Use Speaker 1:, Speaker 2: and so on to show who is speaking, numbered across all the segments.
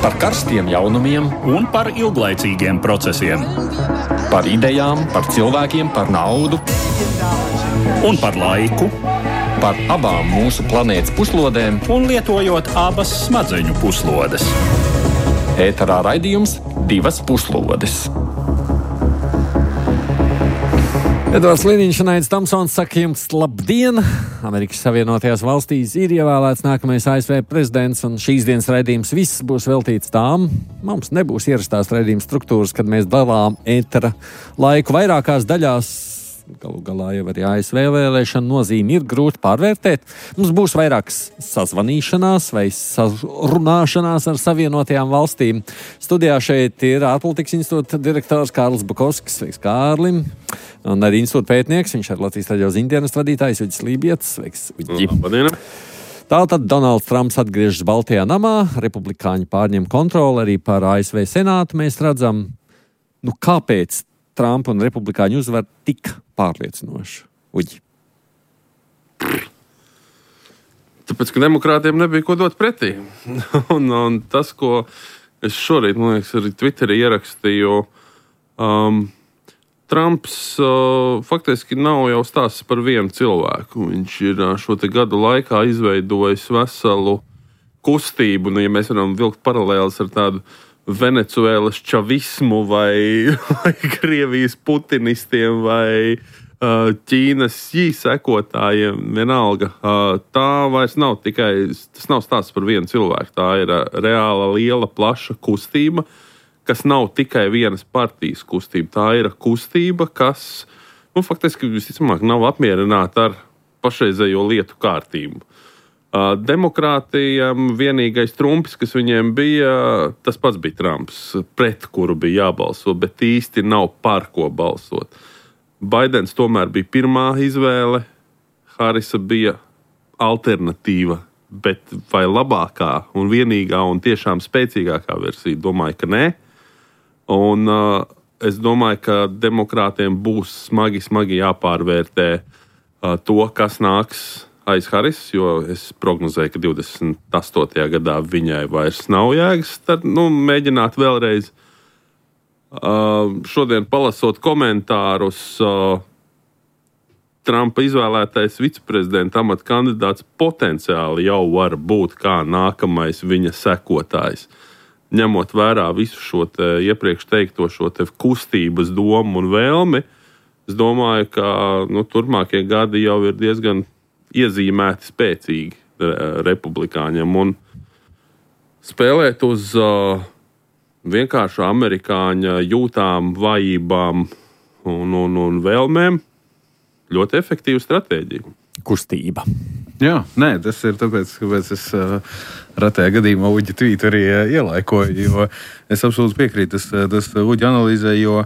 Speaker 1: Par karstiem jaunumiem
Speaker 2: un par ilglaicīgiem procesiem.
Speaker 1: Par idejām, par cilvēkiem, par naudu
Speaker 2: Un par laiku.
Speaker 1: Par abām mūsu planētas puslodēm.
Speaker 2: Un lietojot abas smadzeņu puslodes.
Speaker 1: Ēterā raidījums Divas puslodes.
Speaker 3: Edvards Liniņš un Aidis Tomsons saka jums labdien! Amerikas Savienotajās valstīs ir ievēlēts nākamais ASV prezidents, un šīs dienas raidījums viss būs veltīts tām. Mums nebūs ierastās raidījuma struktūras, kad mēs dalām ētera laiku vairākās daļās. Galu galā jau arī ASV vēlēšana nozīme ir grūti pārvērtēt. Mums būs vairākas sazvanīšanās vai sarunāšanās ar Savienotajām valstīm. Studijā šeit ir ārpolitikas institūta direktors Kārlis Bukovskis. Sveiks, Kārlim! Un arī institūta pētnieks, viņš ir Latvijas radio ziņdienas vadītājs Uģis Lībietis. Sveiks, Uģi!
Speaker 4: Labdien!
Speaker 3: Tātad Donalds Trumps atgriežas Baltajā namā, republikāņi pārņem kontroli arī pār ASV senātu. Mēs redzam, kāpēc Trumpa un republikāņu uzvar tik pārliecinoši. Uģi.
Speaker 4: Tāpēc, ka demokrātiem nebija ko dot pretī. un tas, ko es šorīt, man liekas, arī Twitterī ierakstīju, Trumps faktiski nav jau stāsts par vienu cilvēku. Viņš ir šo te gadu laikā izveidojis veselu kustību, ja mēs varam vilkt paralēlis ar tādu Venecuēlas čavismu vai Krievijas putinistiem vai Ķīnas sekotājiem, vienalga. Tā vairs nav tas nav stāsts par vienu cilvēku. Tā ir reāla, liela, plaša kustība, kas nav tikai vienas partijas kustība. Tā ir kustība, kas faktiski visticamāk nav apmierināta ar pašreizējo lietu kārtību. Demokrātijam vienīgais trumpis, kas viņiem bija, tas pats bija Trumps, pret kuru bija jābalso, bet īsti nav par ko balsot. Baidens tomēr bija pirmā izvēle, Harisa bija alternatīva, bet vai labākā un vienīgā un tiešām spēcīgākā versija? Domāju, ka nē. Un es domāju, ka demokrātiem būs smagi jāpārvērtē to, kas nāks aiz Haris, jo es prognozēju, ka 28. gadā viņai vairs nav jēgas. Tad mēģināt vēlreiz. Šodien palasot komentārus, Trumpa izvēlētais viceprezidenta amata kandidāts potenciāli jau var būt kā nākamais viņa sekotājs. Ņemot vērā visu šo iepriekš teikto šo kustības domu un vēlmi, es domāju, ka turpmākie gadi jau ir diezgan iezīmēti spēcīgi republikāņiem un spēlēt uz vienkāršu amerikāņa jūtām, vājībām un vēlmēm ļoti efektīva stratēģija.
Speaker 3: Kustība.
Speaker 5: Jā, tas ir tāpēc, kāpēc es retajā gadījumā Uģi tvītu arī ielaikoju, jo es absolūti piekrītu tas Uģi analīzē, jo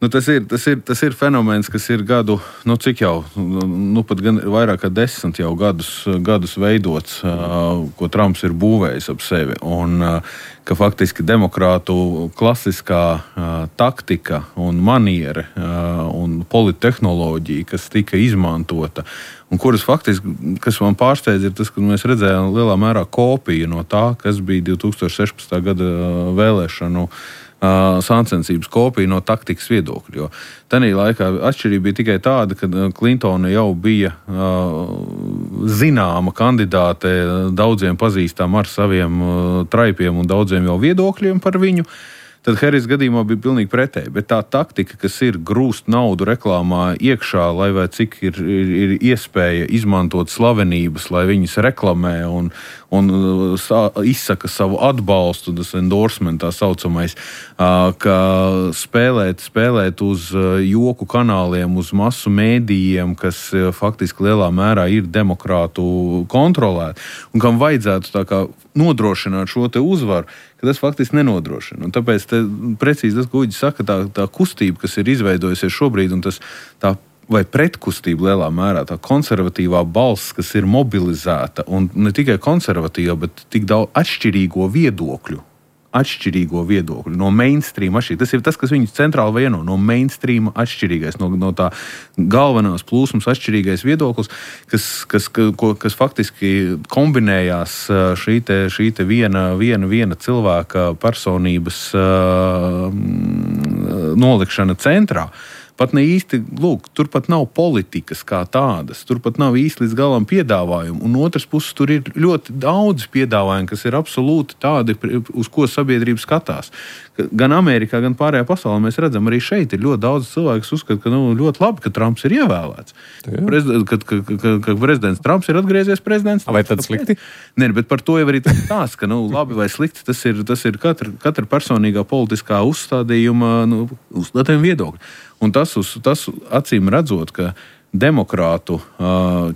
Speaker 5: tas ir fenomens, kas ir gadu, cik jau, pat gan vairāk kā 10 jau gadus veidots, ko Trumps ir būvējis ap sevi, un ka faktiski demokrātu klasiskā taktika un maniere un polittehnoloģija, kas tika izmantota, un kuras faktiski, kas man pārsteidz, ir tas, ka mēs redzējām lielā mērā kopiju no tā, kas bija 2016. Gada vēlēšanu sāncensības kopija no taktikas viedokļa. Jo tanī laikā atšķirība bija tikai tāda, ka Klintona jau bija zināma kandidāte, daudziem pazīstama ar saviem traipiem un daudziem jau viedokļiem par viņu. Tad Harris gadījumā bija pilnīgi pretēji. Bet tā taktika, kas ir grūst naudu reklāmā iekšā, lai vai cik ir iespēja izmantot slavenības, lai viņas reklamē un izsaka savu atbalstu, tas endorsement tā saucamais, ka spēlēt uz joku kanāliem, uz masu mēdījiem, kas faktiski lielā mērā ir demokrātu kontrolēti, un kam vajadzētu tā kā nodrošināt šo te uzvaru, ka tas faktiski nenodrošina. Un tāpēc precīzi tas, ko Uģis saka, tā kustība, kas ir izveidojusies šobrīd, un tā vai pretkustība lielā mērā, tā konservatīvā balss, kas ir mobilizēta, un ne tikai konservatīva, bet tik daudz atšķirīgo viedokļu atšķirīgo viedokļu, no mainstream atšķirīgais. Tas ir tas, kas viņus centrāli vieno, no mainstream atšķirīgais, no tā galvenās plūsmas atšķirīgais viedoklis, kas faktiski kombinējās šī te viena cilvēka personības nolikšana centrā. Pat ne īsti, tur pat nav politikas kā tādas, tur pat nav īsti līdz galam piedāvājumu. Un otras puses, tur ir ļoti daudz piedāvājumu, kas ir absolūti tādi, uz ko sabiedrība skatās. Gan Amerikā, gan pārējā pasaulē mēs redzam, arī šeit ir ļoti daudz cilvēku, kas uzskata, ka ļoti labi, ka Trumps ir ievēlēts. Ka prezidents Trumps ir atgriezies prezidents.
Speaker 3: Vai tad slikti?
Speaker 5: Nē, bet par to jau arī tās, ka labi vai slikti, tas ir katra personīgā politiskā uzstādījuma viedokļa. Un tas acīm redzot, ka demokrātu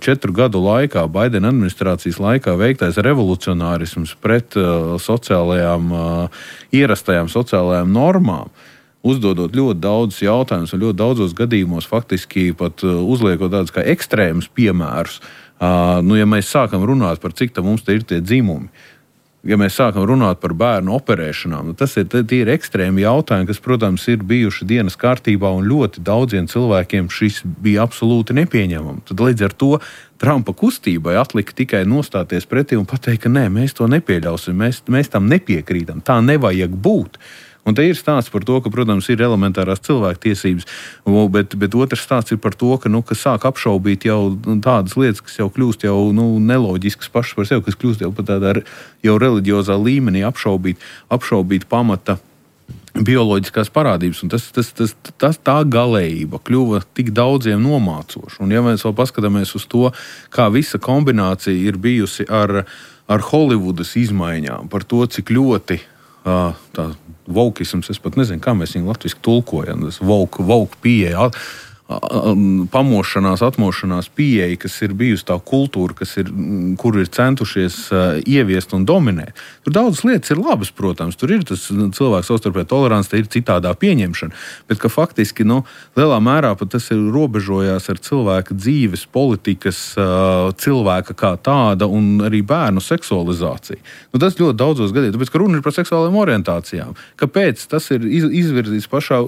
Speaker 5: 4 gadu laikā, Baidena administrācijas laikā veiktais revolucionārisms pret ierastajām sociālajām normām, uzdodot ļoti daudz jautājumus un ļoti daudzos gadījumos faktiski pat uzliekot tādus kā ekstrēmus piemērus. Ja mēs sākam runāt par cik mums te ir tie dzimumi, ja mēs sākam runāt par bērnu operēšanām, tas ir ekstrēmi jautājumi, kas, protams, ir bijuši dienas kārtībā un ļoti daudziem cilvēkiem šis bija absolūti nepieņemami. Tad līdz ar to Trumpa kustībai atlika tikai nostāties pretī un pateikt, ka nē, mēs to nepieļausim, mēs tam nepiekrītam, tā nevajag būt. Un te ir stāsts par to, ka, protams, ir elementārās cilvēktiesības, bet otrs stāsts ir par to, ka sāk apšaubīt jau tādas lietas, kas jau kļūst jau neloģiskas pašas par sevi, kas kļūst jau pat tādā jau reliģiozā līmenī apšaubīt pamata bioloģiskās parādības. Un tā galējība kļuva tik daudziem nomācoša. Un ja mēs vēl paskatāmies uz to, kā visa kombinācija ir bijusi ar Holivudas izmaiņām, par to, cik ļoti tā vokisms, es pat nezinu, kā mēs viņu latviski tulkojam, tas vouk pieeja, pamošanās, atmošanās pieeja, kas ir bijusi tā kultūra, kur ir centušies ieviest un dominēt. Tur daudzas lietas ir labas, protams, tur ir tas cilvēks savstarpēja tolerants, te ir citādā pieņemšana, bet ka faktiski, lielā mērā pat tas ir robežojās ar cilvēka dzīves, politikas, cilvēka kā tāda un arī bērnu seksualizāciju. Tas ļoti daudzos gadījumos, tāpēc, ka runa ir par seksuālajām orientācijām. Kāpēc tas ir izvirzīts pašā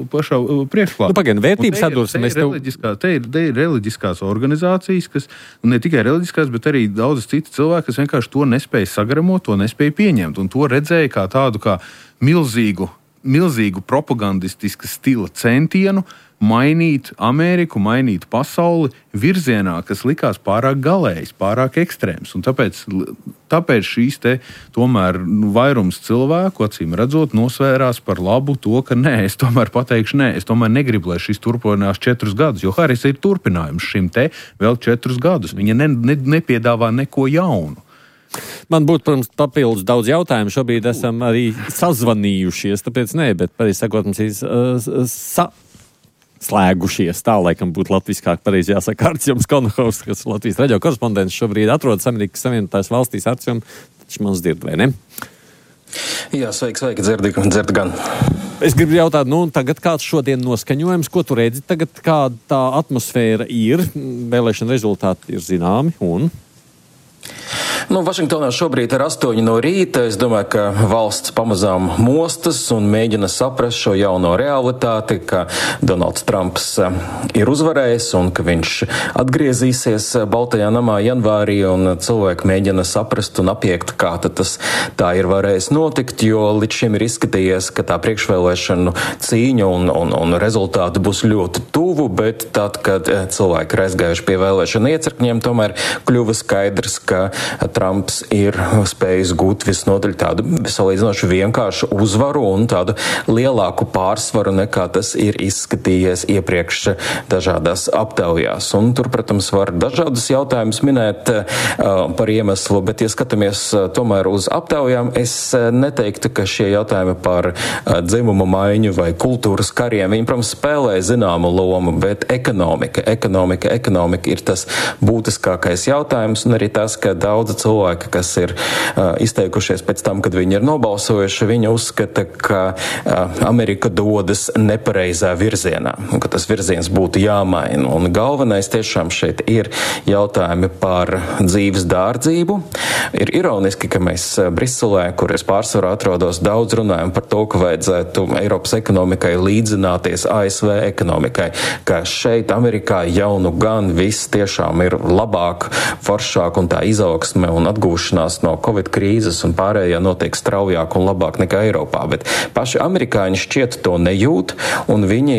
Speaker 5: priekšplānā?
Speaker 3: Pagaidām, vērtības sadursmes.
Speaker 5: Te ir reliģiskās organizācijas, kas ne tikai reliģiskās, bet arī daudzas citas cilvēki, kas vienkārši to nespēja sagremot, to nespēja pieņemt. Un to redzēja kā tādu kā milzīgu propagandistisku stila centienu mainīt Ameriku, mainīt pasauli virzienā, kas likās pārāk galējs, pārāk ekstrēms. Un tāpēc šīs te tomēr vairums cilvēku, acīm redzot, nosvērās par labu to, ka es tomēr pateikšu es tomēr negribu, lai šis turpinās 4 gadus, jo Haris ir turpinājums šim te vēl 4 gadus. Viņa nepiedāvā neko jaunu.
Speaker 3: Man būtu, protams, papildus daudz jautājumu. Šobrīd esam arī sazvanījušies, tāpēc bet pareizi sakot, mums ir slēgušies. Tā, laikam, būtu latviskāk pareizi jāsaka Artjoms Konohovs, kas Latvijas radio korespondents šobrīd atrodas Amerikas Savienotās valstīs. Artjom, taču mums dzird, vai ne?
Speaker 6: Jā, sveiki, dzird gan.
Speaker 3: Es gribu jautāt, tagad kāds šodien noskaņojums, ko tu redzi tagad, kāda tā atmosfēra ir, vēlēšana rezultāti ir zināmi un...
Speaker 6: Vašingtonā šobrīd ir 8 no rīta. Es domāju, ka valsts pamazām mostas un mēģina saprast šo jauno realitāti, ka Donalds Trumps ir uzvarējis un ka viņš atgriezīsies Baltajā namā janvārī, un cilvēki mēģina saprast un apiekt, kā tas tā ir varējis notikt, jo līdz šim ir izskatījies, ka tā priekšvēlēšanu cīņa un rezultāti būs ļoti tuvu, bet tad, kad cilvēki ir aizgājuši pie vēlēšana iecirkņiem, tomēr kļuva skaidrs, ka Trumps ir spējis gūt visnotaļ tādu salīdzinoši vienkāršu uzvaru un tādu lielāku pārsvaru, nekā tas ir izskatījies iepriekš dažādās aptaujās. Un tur, protams, var dažādus jautājumus minēt par iemeslu, bet, ja skatāmies tomēr uz aptaujām, es neteiktu, ka šie jautājumi par dzimuma maiņu vai kultūras kariem, viņi, protams, spēlē zināmu lomu, bet ekonomika ir tas būtiskākais jautājums, un arī tas, ka daudzi cilvēki cilvēki, kas ir izteikušies pēc tam, kad viņi ir nobalsojuši, viņi uzskata, ka Amerika dodas nepareizā virzienā, un ka tas virziens būtu jāmaina. Un galvenais tiešām šeit ir jautājumi par dzīves dārdzību. Ir ironiski, ka mēs Briselē, kur es pārsvarā atrodos, daudz runājam par to, ka vajadzētu Eiropas ekonomikai līdzināties ASV ekonomikai, ka šeit Amerikā jau nu gan viss tiešām ir labāk, foršāk un tā izaugsme un atgūšanās no Covid krīzes un pārējā notiek straujāk un labāk nekā Eiropā. Bet paši amerikāņi šķiet to nejūt un viņi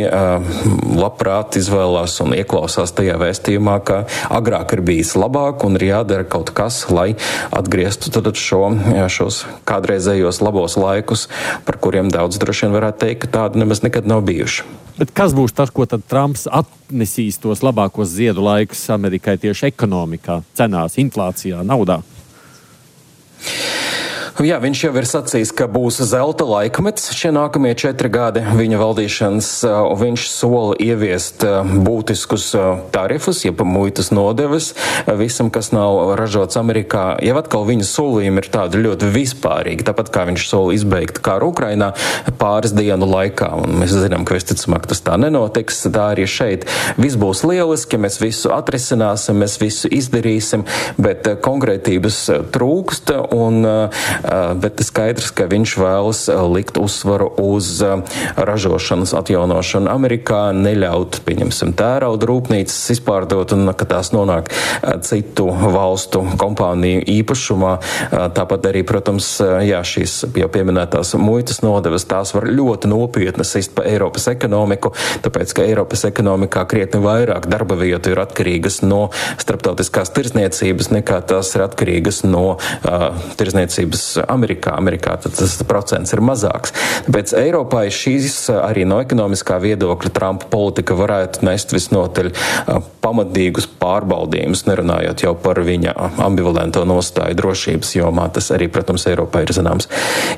Speaker 6: labprāt izvēlās un ieklausās tajā vēstījumā, ka agrāk ir bijis labāk un ir jādara kaut kas, lai atgrieztu tad šos kādreizējos labos laikus, par kuriem daudz droši vien varētu teikt, ka tādi nemaz nekad nav bijuši.
Speaker 3: Bet kas būs tas, ko tad Trumps atnesīs tos labākos ziedu laikus Amerikai tieši ekonomikā, cenās, inflācijā, naudā?
Speaker 6: Jā, viņš jau ir sacījis, ka būs zelta laikmets šie nākamie 4 gadi viņa valdīšanas. Viņš sola ieviest būtiskus tarifus, jeb muitas nodevas visam, kas nav ražots Amerikā. Jau atkal viņa solījumi ir tādi ļoti vispārīgi, tāpat kā viņš sola izbeigt kāru Ukrainā pāris dienu laikā. Un mēs zinām, ka visticamāk tas tā nenotiks. Tā arī šeit viss būs lieliski, mēs visu atrisināsim, mēs visu izdarīsim, bet konkrētības trūkst bet skaidrs, ka viņš vēlas likt uzsvaru uz ražošanas atjaunošanu Amerikā, neļaut, pieņemsim, tērauda rūpnīcas izpārdot un ka tās nonāk citu valstu kompāniju īpašumā. Tāpat arī, protams, šīs jau pieminētās muitas nodevas, tās var ļoti nopietni sist pa Eiropas ekonomiku, tāpēc, ka Eiropas ekonomikā krietni vairāk darba vietu ir atkarīgas no starptautiskās tirzniecības, nekā tās ir atkarīgas no tirzniecības Amerikā tas procents ir mazāks. Tāpēc Eiropai šīs arī no ekonomiskā viedokļa Trumpa politika varētu nest visnotaļ pamatīgus pārbaudījumus, nerunājot jau par viņa ambivalento nostāju drošības jomā. Tas arī, protams, Eiropā ir zināms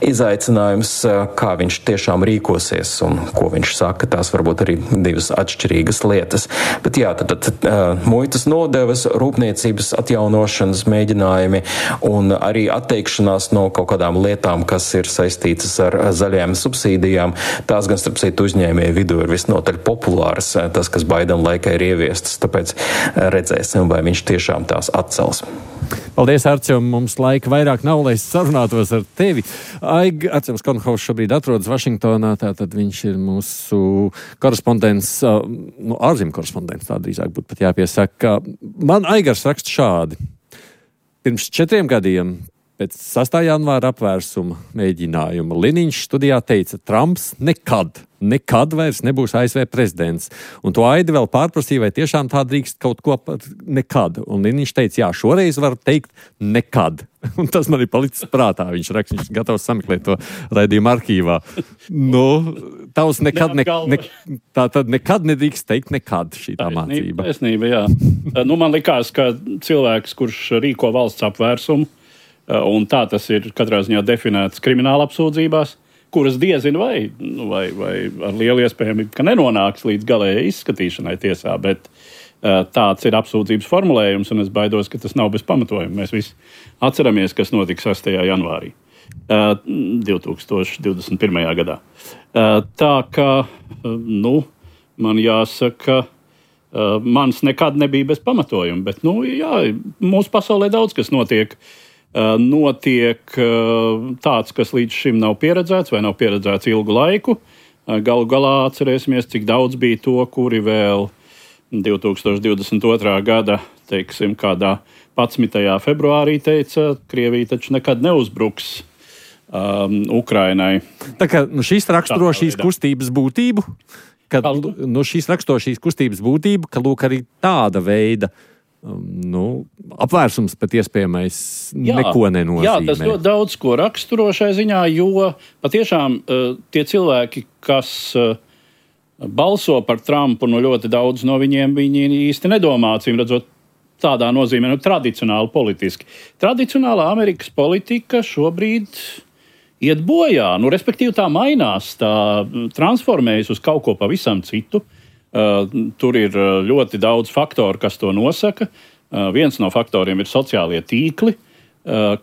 Speaker 6: izaicinājums, kā viņš tiešām rīkosies un ko viņš saka. Tās varbūt arī divas atšķirīgas lietas. Bet jā, tad muitas nodevas, rūpniecības atjaunošanas mēģinājumi un arī atteikšanās no kaut kādām lietām, kas ir saistītas ar zaļajām subsīdijām. Tās gan, starp citu, uzņēmēju vidū ir visnotaļ populāras, tas, kas Baidena laikā ir ieviestas, tāpēc redzēsim, vai viņš tiešām tās atcels.
Speaker 3: Paldies, Arčom, mums laika vairāk nav, lai sarunātos ar tevi. Arčoms Kornhaus šobrīd atrodas Vašingtonā, tātad viņš ir mūsu korespondents, ārzemju korespondents, tā drīzāk būtu pat jāpiesaka. Man Aigars raksta šādi. Pirms 4 gadiem pēc 6. janvāra apvērsuma mēģinājuma Liniņš studijā teica, Trumps nekad vairs nebūs ASV prezidents. Un to Aidi vēl pārprasīja, vai tiešām tā drīkst kaut ko nekad. Un Liniņš teica, jā, šoreiz var teikt nekad. Un tas man ir palicis prātā. Viņš raksta, viņš gatavs sameklēt to raidījumu arhīvā. Tavs tā tad nekad nedrīkst teikt nekad šī tā mācība.
Speaker 2: Taisnība, jā. Man likās, ka cilvēks, kurš rīko valsts apvērsumu, un tā tas ir katrā ziņā definēts krimināla apsūdzībās, kuras diezin vai ar lielu iespējamību, ka nenonāks līdz galējai izskatīšanai tiesā, bet tāds ir apsūdzības formulējums, un es baidos, ka tas nav bez pamatojuma. Mēs visi atceramies, kas notika 6. janvārī 2021. gadā. Tā kā, man jāsaka, mans nekad nebija bez pamatojuma, bet, mūsu pasaulē daudz kas notiek tāds, kas līdz šim nav pieredzēts vai nav pieredzēts ilgu laiku. Galu galā atcerēsimies, cik daudz bija to, kuri vēl 2022. gada, teiksim, kādā 11. februārī teica, Krievija taču nekad neuzbruks Ukrainai.
Speaker 3: Tā kā šīs raksturo šīs kustības būtību, ka lūk arī tāda veida apvērsums pat iespējamais neko nenozīmē.
Speaker 2: Jā, tas ļoti daudz ko raksturo šai ziņā, jo patiešām tie cilvēki, kas balso par Trumpu, ļoti daudz no viņiem viņi īsti nedomā, acīm redzot, tādā nozīmē, tradicionāli politiski. Tradicionālā Amerikas politika šobrīd iet bojā, respektīvi tā mainās, tā transformējas uz kaut ko pavisam citu. Tur ir ļoti daudz faktoru, kas to nosaka. Viens no faktoriem ir sociālie tīkli.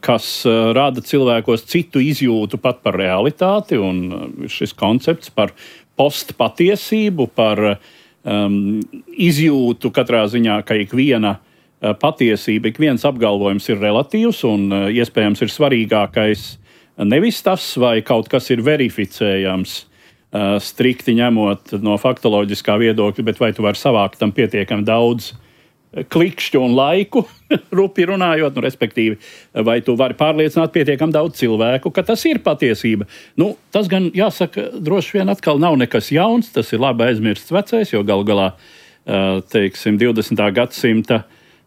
Speaker 2: kas rada cilvēkos citu izjūtu pat par realitāti, un šis koncepts par postpatiesību, par izjūtu katrā ziņā, ka ikviena patiesība, ik viens apgalvojums ir relatīvs, un iespējams ir svarīgākais nevis tas, vai kaut kas ir verificējams, strikti ņemot no faktoloģiskā viedokļa, bet vai tu vari savākt tam pietiekami daudz klikšķu un laiku, rupi runājot, respektīvi, vai tu vari pārliecināt pietiekami daudz cilvēku, ka tas ir patiesība. Tas gan, jāsaka, droši vien atkal nav nekas jauns, tas ir labi aizmirsts vecais, jo galu galā, teiksim, 20. gadsimta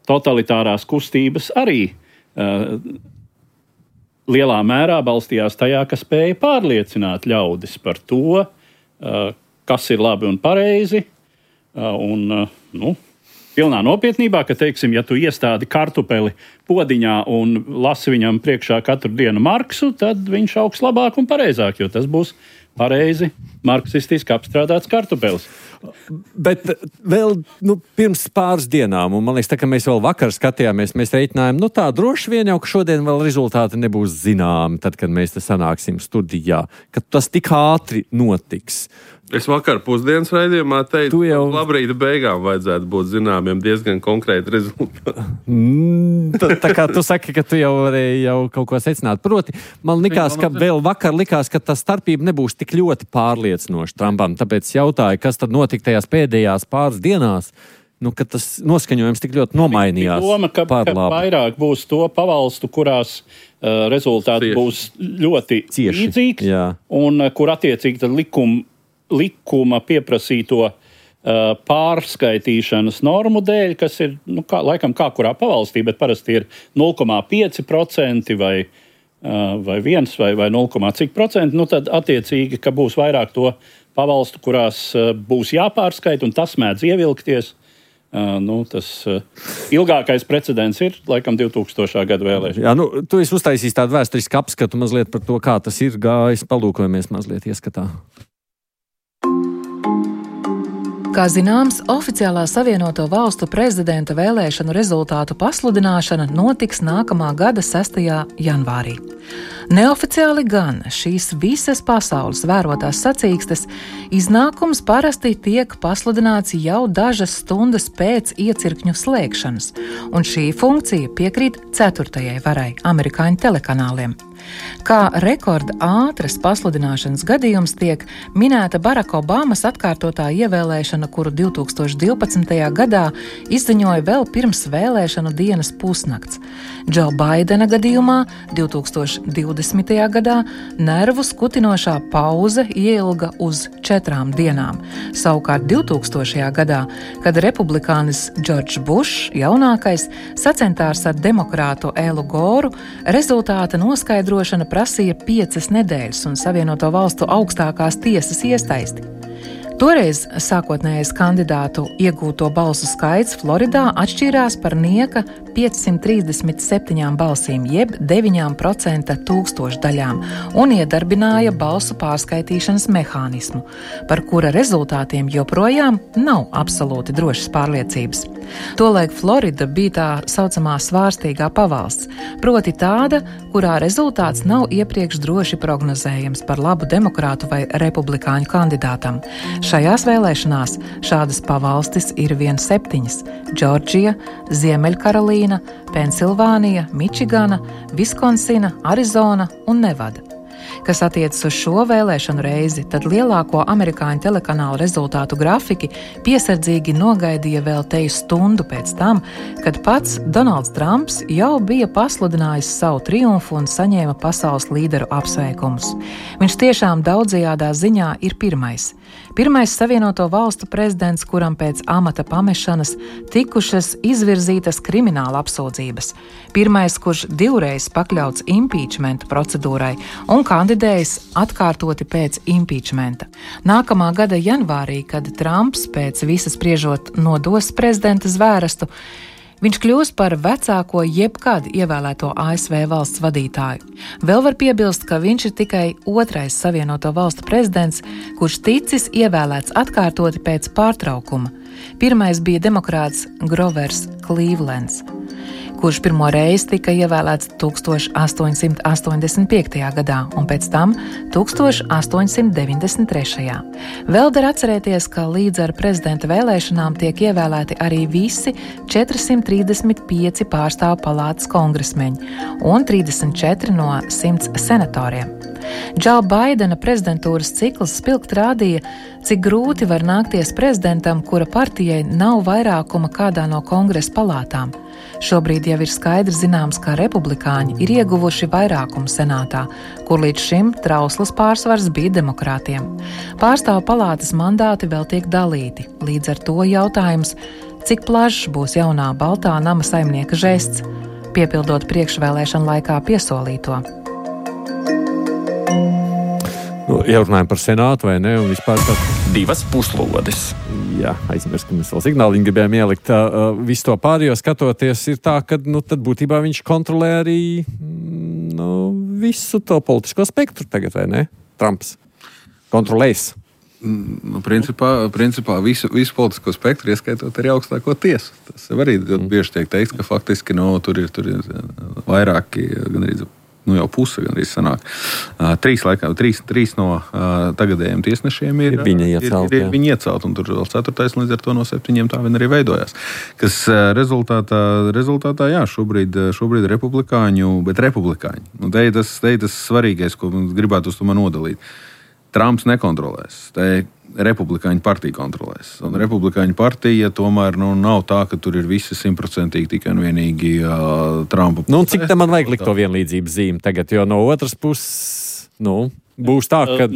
Speaker 2: totalitārās kustības arī lielā mērā balstījās tajā, ka spēja pārliecināt ļaudis par to, kas ir labi un pareizi, pilnā nopietnībā, ka, teiksim, ja tu iestādi kartupeli podiņā un lasi viņam priekšā katru dienu Marksu, tad viņš augs labāk un pareizāk, jo tas būs pareizi marksistiski apstrādāts kartupelis.
Speaker 3: Bet vēl pirms pāris dienām, un man liekas, tā, ka mēs vēl vakar skatījāmies, mēs reiķinājām, tā droši vien jau, ka šodien vēl rezultāti nebūs zināmi, tad, kad mēs te sanāksim studijā, ka tas tik ātri notiks.
Speaker 4: Es vakar pusdienas raidījumā teicu, ka labrīta beigām vajadzētu būt zināmiem diezgan konkrēti rezultāti.
Speaker 3: Tā kā tu saki, ka tu jau varēji kaut ko secināt. Proti, man likās, ka vēl vakar likās, ka tā starpība nebūs tik ļoti pārliecinoša Trumpam. Tāpēc jautāju, kas tad notika tajās pēdējās pāris dienās, ka tas noskaņojums tik ļoti nomainījās.
Speaker 2: Doma, ka vairāk būs to pavalstu, kurās rezultāti būs ļoti līdzīgs, un kur attiecīgi tad likuma pieprasīto pārskaitīšanas normu dēļ, kas ir, laikam kā kurā pavalstī, bet parasti ir 0,5% vai 1 vai 0, cik procenti, tad attiecīgi, ka būs vairāk to pavalstu, kurās būs jāpārskaita, un tas mēdz ievilkties. Tas ilgākais precedents ir, laikam, 2000. gada vēlēšana.
Speaker 3: Jā, tu esi uztaisījis tādu vēsturisku apskatu mazliet par to, kā tas ir gājis. Palūkojamies mazliet ieskatā.
Speaker 7: Kā zināms, oficiālā Savienoto Valstu prezidenta vēlēšanu rezultātu pasludināšana notiks nākamā gada 6. janvārī. Neoficiāli gan šīs visas pasaules vērotās sacīkstes iznākums parasti tiek pasludināts jau dažas stundas pēc iecirkņu slēgšanas, un šī funkcija piekrīt 4. varai amerikāņu telekanāliem. Kā rekorda ātras pasludināšanas gadījums tiek minēta Baraka Obamas atkārtotā ievēlēšana, kuru 2012. gadā izziņoja vēl pirms vēlēšanu dienas pusnakts. Džo Baidena gadījumā 2020. gadā nervu skutinošā pauze ieilga uz 4 dienām. Savukārt 2000. gadā, kad republikānis Džordžs Bušs, jaunākais, sacentās ar demokrātu Elu Goru, rezultāta noskaidrošana prasīja 5 nedēļas un Savienoto Valstu augstākās tiesas iesaisti. Toreiz sākotnējais kandidātu iegūto balsu skaits Floridā atšķīrās par nieka 537 balsīm, jeb 9% tūkstošdaļām, un iedarbināja balsu pārskaitīšanas mehānismu, par kura rezultātiem joprojām nav absolūti drošas pārliecības. Tolaik Florida bija tā saucamā svārstīgā pavalsts, proti tāda, kurā rezultāts nav iepriekš droši prognozējams par labu demokrātu vai republikāņu kandidātam. Šajās vēlēšanās šādas pavalstis ir vien 7 – Džordžija, Ziemeļkarolīna, Pensilvānija, Mičigana, Viskonsina, Arizona un Nevada. Kas attiecas uz šo vēlēšanu reizi, tad lielāko amerikāņu telekanālu rezultātu grafiki piesardzīgi nogaidīja vēl teju stundu pēc tam, kad pats Donalds Trumps jau bija pasludinājis savu triumfu un saņēma pasaules līderu apsveikumus. Viņš tiešām daudzajādā ziņā ir pirmais Savienoto Valstu prezidents, kuram pēc amata pamešanas tikušas izvirzītas krimināla apsūdzības. Pirmais, kurš 2 reizes pakļauts impeachmenta procedūrai un kandidējis atkārtoti pēc impeachmenta. Nākamā gada janvārī, kad Trumps pēc visas spriežot nodos prezidenta zvērestu, viņš kļūs par vecāko jebkad ievēlēto ASV valsts vadītāju. Vēl var piebilst, ka viņš ir tikai 2. Savienoto Valstu prezidents, kurš ticis ievēlēts atkārtoti pēc pārtraukuma. Pirmais bija demokrāts Grovers Clevelands, kurš pirmo reizi tika ievēlēts 1885. gadā un pēc tam 1893. Vēl der atcerēties, ka līdz ar prezidenta vēlēšanām tiek ievēlēti arī visi 435 pārstāvu palātas kongresmeņi un 34 no 100 senatoriem. Džo Baidena prezidentūras cikls spilgti rādīja, cik grūti var nākties prezidentam, kura partijai nav vairākuma kādā no kongresa palātām. Šobrīd jau ir skaidri zināms, ka republikāņi ir ieguvuši vairākumu senātā, kur līdz šim trauslas pārsvars bija demokrātiem. Pārstāvu palātas mandāti vēl tiek dalīti, līdz ar to jautājums, cik plašs būs jaunā Baltā nama saimnieka žests, piepildot priekšvēlēšanu laikā piesolīto.
Speaker 3: Ja runājam par senātu vai ne, un vispār par...
Speaker 1: Divas puslodes.
Speaker 3: Jā, aizmirst, ka mēs vēl signāliņu gribējām ielikt. Visu to pārējo skatoties ir tā, ka tad būtībā viņš kontrolē arī visu to politisko spektru tagad, vai ne? Trumps kontrolēs.
Speaker 5: Principā visu politisko spektru, ieskaitot arī augstāko tiesu. Tas arī bieži tiek teikts, ka faktiski tur ir vairāki, gan arī jau puse gandrīz sanāk. Trīs no tagadējiem tiesnešiem ir viņi iecelt, un tur vēl 4. līdz ar to no 7 tā vien arī veidojās. Kas rezultātā, jā, šobrīd republikāņu, bet republikāņi. Un te ir tas svarīgais, ko gribētu uz to man nodalīt. Trumps nekontrolēs. Te republikāņu partija kontrolēs. Un republikāņu partija tomēr nav tā, ka tur ir visi 100% tikai un vienīgi Trumpa.
Speaker 3: Cik tam man vajag likt to vienlīdzības zīmi tagad, jo no otras puses, būs tā, ka...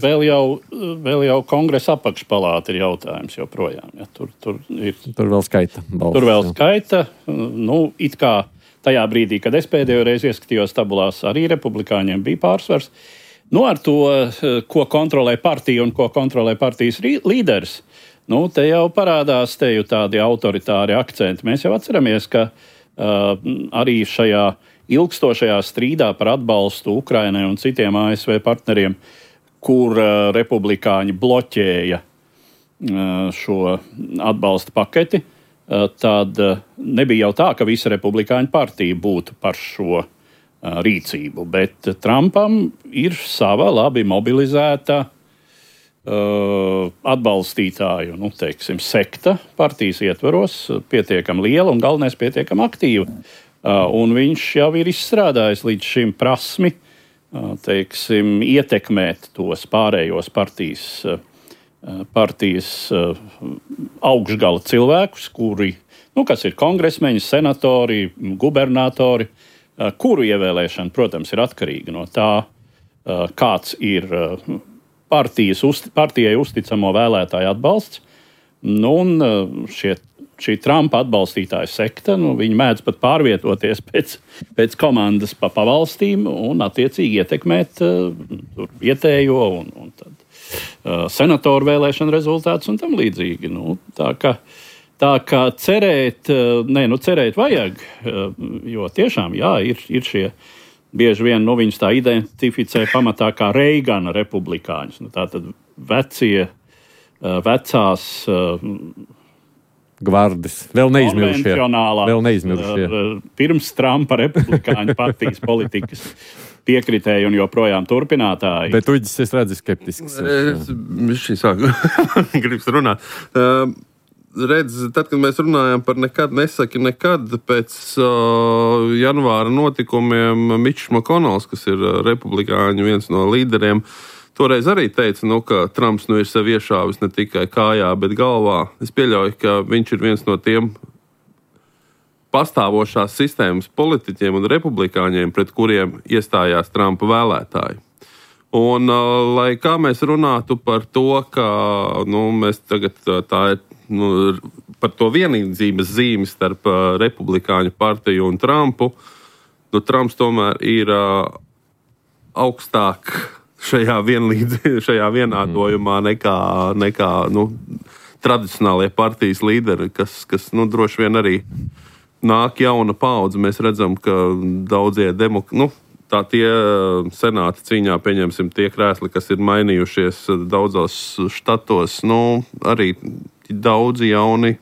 Speaker 2: Vēl jau kongresa apakšpalāta ir jautājums joprojām. Ja, tur
Speaker 3: vēl skaita balsis. Tur vēl
Speaker 2: skaita. It kā tajā brīdī, kad es pēdējo reizi ieskatījos tabulās, arī republikāņiem bija pārsvars. Ar to, ko kontrolē partija un ko kontrolē partijas līderis, te jau parādās tādi autoritāri akcenti. Mēs jau atceramies, ka arī šajā ilgstošajā strīdā par atbalstu Ukrainai un citiem ASV partneriem, kur republikāņi bloķēja šo atbalsta paketi, tad nebija jau tā, ka visa republikāņu partija būtu par šo rīcību, bet Trumpam ir sava labi mobilizēta atbalstītāju, sekta partijas ietvaros, pietiekami liela un galvenais pietiekami aktīva. Un viņš jau ir izstrādājis līdz šim prasmi, ietekmēt tos pārējos partijas augšgala cilvēkus, kuri, kas ir kongresmeņi, senatori, gubernatori, kuru ievēlēšana, protams, ir atkarīga no tā, kāds ir partijai uzticamo vēlētāju atbalsts. Šī Trumpa atbalstītāja sekta, viņi mēdz pat pārvietoties pēc komandas pa valstīm un attiecīgi ietekmēt vietējo un tad senatoru vēlēšanu rezultātus un tam līdzīgi. Tā kā cerēt vajag, jo tiešām, jā, ir šie bieži vien, viņus tā identificē pamatā kā Reigana republikāņus. Tātad vecās
Speaker 3: gvardes, vēl neizmirušie.
Speaker 2: Pirms Trumpa republikāņu partijas politikas piekritēji un joprojām turpinātāji.
Speaker 3: Bet Uģis, es redzu skeptisks.
Speaker 4: Šī sāku gribas runāt. Tad, kad mēs runājam par nesaki nekad, pēc janvāra notikumiem Mičs Makonels, kas ir republikāņu viens no līderiem, toreiz arī teica, ka Trumps ir sev iešāvis ne tikai kājā, bet galvā. Es pieļauju, ka viņš ir viens no tiem pastāvošās sistēmas politiķiem un republikāņiem, pret kuriem iestājās Trumpa vēlētāji. Un, lai kā mēs runātu par to, ka mēs tagad tā ir par to vienlīdzības zīmi starp republikāņu partiju un Trumpu, Trumps tomēr ir augstāk šajā vienādojumā nekā tradicionālie partijas līderi, kas droši vien arī nāk jauna paudze. Mēs redzam, ka daudzie tie senāta cīņā, pieņemsim, tie krēsli, kas ir mainījušies daudzos štatos, arī daudzi jauni,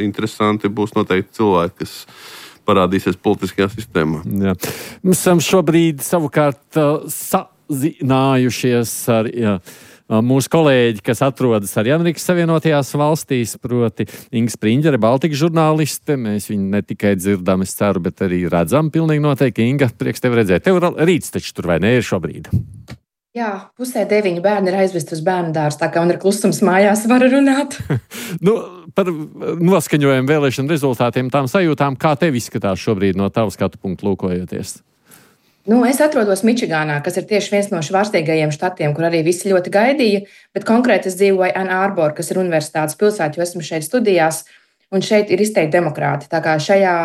Speaker 4: interesanti būs noteikti cilvēki, kas parādīsies politiskajā sistēmā.
Speaker 3: Jā. Mēs esam šobrīd savukārt sazinājušies ar mūsu kolēģi, kas atrodas arī Amerikas Savienotajās valstīs, proti Inga Spriņģere, Baltika žurnāliste. Mēs viņu ne tikai dzirdam, es ceru, bet arī redzam pilnīgi noteikti. Inga, prieks tevi redzēt. Tev rīts taču tur vai ne ir šobrīd?
Speaker 8: Jā, 8:30 bērni ir aizvest uz bērnu dārzu, tā kā man ir klusums mājās, var runāt.
Speaker 3: Par noskaņojumu vēlēšanu rezultātiem, tām sajūtām, kā tev izskatās šobrīd no tava skatu punktu lūkojoties?
Speaker 8: Es atrodos Mičigānā, kas ir tieši viens no švārstīgajiem štatiem, kur arī visi ļoti gaidīja, bet konkrēti es dzīvoju Ann Arbor, kas ir universitātes pilsēta, jo esmu šeit studijās, un šeit ir izteikti demokrāti. Tā kā šajā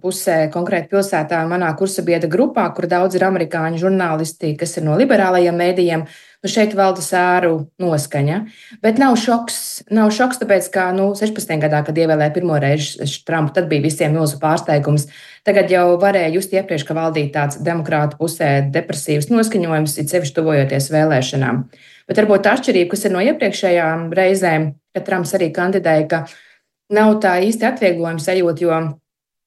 Speaker 8: pusē, konkrēti pilsētā, manā kursabiedra grupā, kur daudz ir amerikāņu žurnālisti, kas ir no liberālajiem mēdījiem, šeit valda sēru noskaņa. Bet nav šoks, tāpēc, ka 16. gadā, kad ievēlēja pirmo reizi Trumpu, tad bija visiem milzu pārsteigums. Tagad jau varēja just iepriekš, ka valdīja tāds demokrātu pusē depresīvs noskaņojums, it sevišķi tuvojoties vēlēšanām. Bet varbūt tā atšķirība, kas ir no iepriekšējām reizēm, kad Trumps arī kandidēja, ka nav tā īsti atvieglojuma sajūta, jo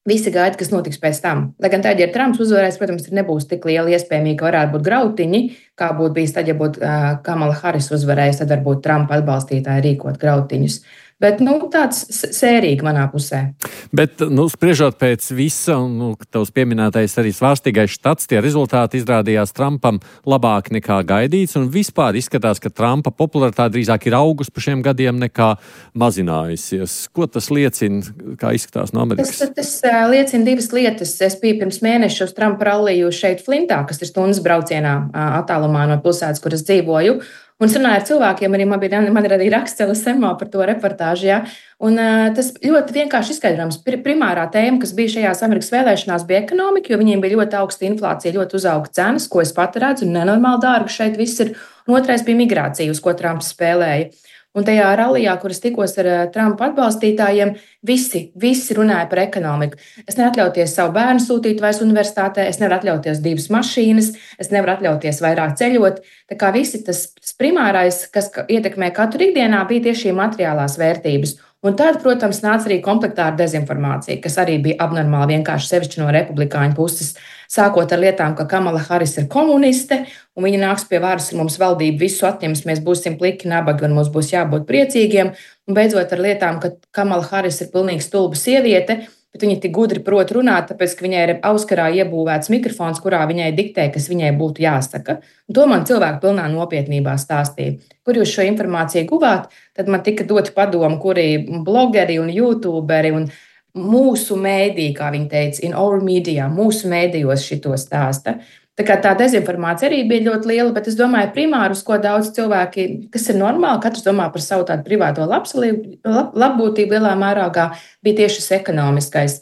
Speaker 8: visi gaida, kas notiks pēc tam. Lai gan tad, ja Trumps uzvarēs, protams, nebūs tik liela iespējamība, ka varētu būt grautiņi, kā būtu bijis tad, ja būtu Kamala Harris uzvarējusi, tad varbūt Trumpa atbalstītāji rīkot grautiņus. Bet tāds sērīgi manā pusē.
Speaker 3: Bet, spriežot pēc visa, un tavs pieminētais arī svārstīgais štats, tie rezultāti izrādījās Trumpam labāk nekā gaidīts, un vispār izskatās, ka Trumpa popularitāte drīzāk ir augus pa šiem gadiem nekā mazinājusies. Ko tas liecina, kā izskatās no Amerikas?
Speaker 8: Tas liecina divas lietas. Es biju pirms mēneša uz Trumpa ralliju šeit Flintā, kas ir stundas braucienā attālumā no pilsētas, kur es dzīvoju. Un es runāju ar cilvēkiem, arī man ir arī raksts LSMā par to reportāžu. Ja? Un tas ļoti vienkārši izskaidrojams. Primārā tēma, kas bija šajās Amerikas vēlēšanās, bija ekonomika, jo viņiem bija ļoti augsta inflācija, ļoti uzauga cenas, ko es pat redzu, un nenormāli dārgi šeit viss ir. Un otrais bija migrācija, uz ko Trumps spēlēja. Un tajā rallijā, kur es tikos ar Trumpa atbalstītājiem, visi runāja par ekonomiku. Es nevaru atļauties savu bērnu sūtīt vairs universitātē, es nevaru atļauties 2 mašīnas, es nevaru atļauties vairāk ceļot. Tā kā visi tas primārais, kas ietekmē katru ikdienā, bija tieši šī materiālās vērtības. Un tad, protams, nāca arī komplektā ar dezinformāciju, kas arī bija abnormāli vienkārši sevišķi no republikāņu puses. Sākot ar lietām, ka Kamala Harris ir komuniste, un viņa nāks pie varas, un mums valdība visu atņems, mēs būsim pliki, nabagi, un mums būs jābūt priecīgiem. Un beidzot ar lietām, ka Kamala Harris ir pilnīgi stulba sieviete, bet viņa tik gudri prot runāt, tāpēc, ka viņai ir Auskarā iebūvēts mikrofons, kurā viņai diktē, kas viņai būtu jāsaka. Un to man cilvēki pilnā nopietnībā stāstīja. Kur jūs šo informāciju guvāt? Tad man tika doti padomu, kuri blogeri un youtuberi un mūsu mēdī, kā viņi teica, in our media, mūsu mēdījos šito stāsta. Tā kā tā dezinformācija arī bija ļoti liela, bet es domāju, primāri, uz ko daudz cilvēki, kas ir normāli, katrs domā par savu tādu privāto labbūtību lielā mērogā, bija tieši šis ekonomiskais.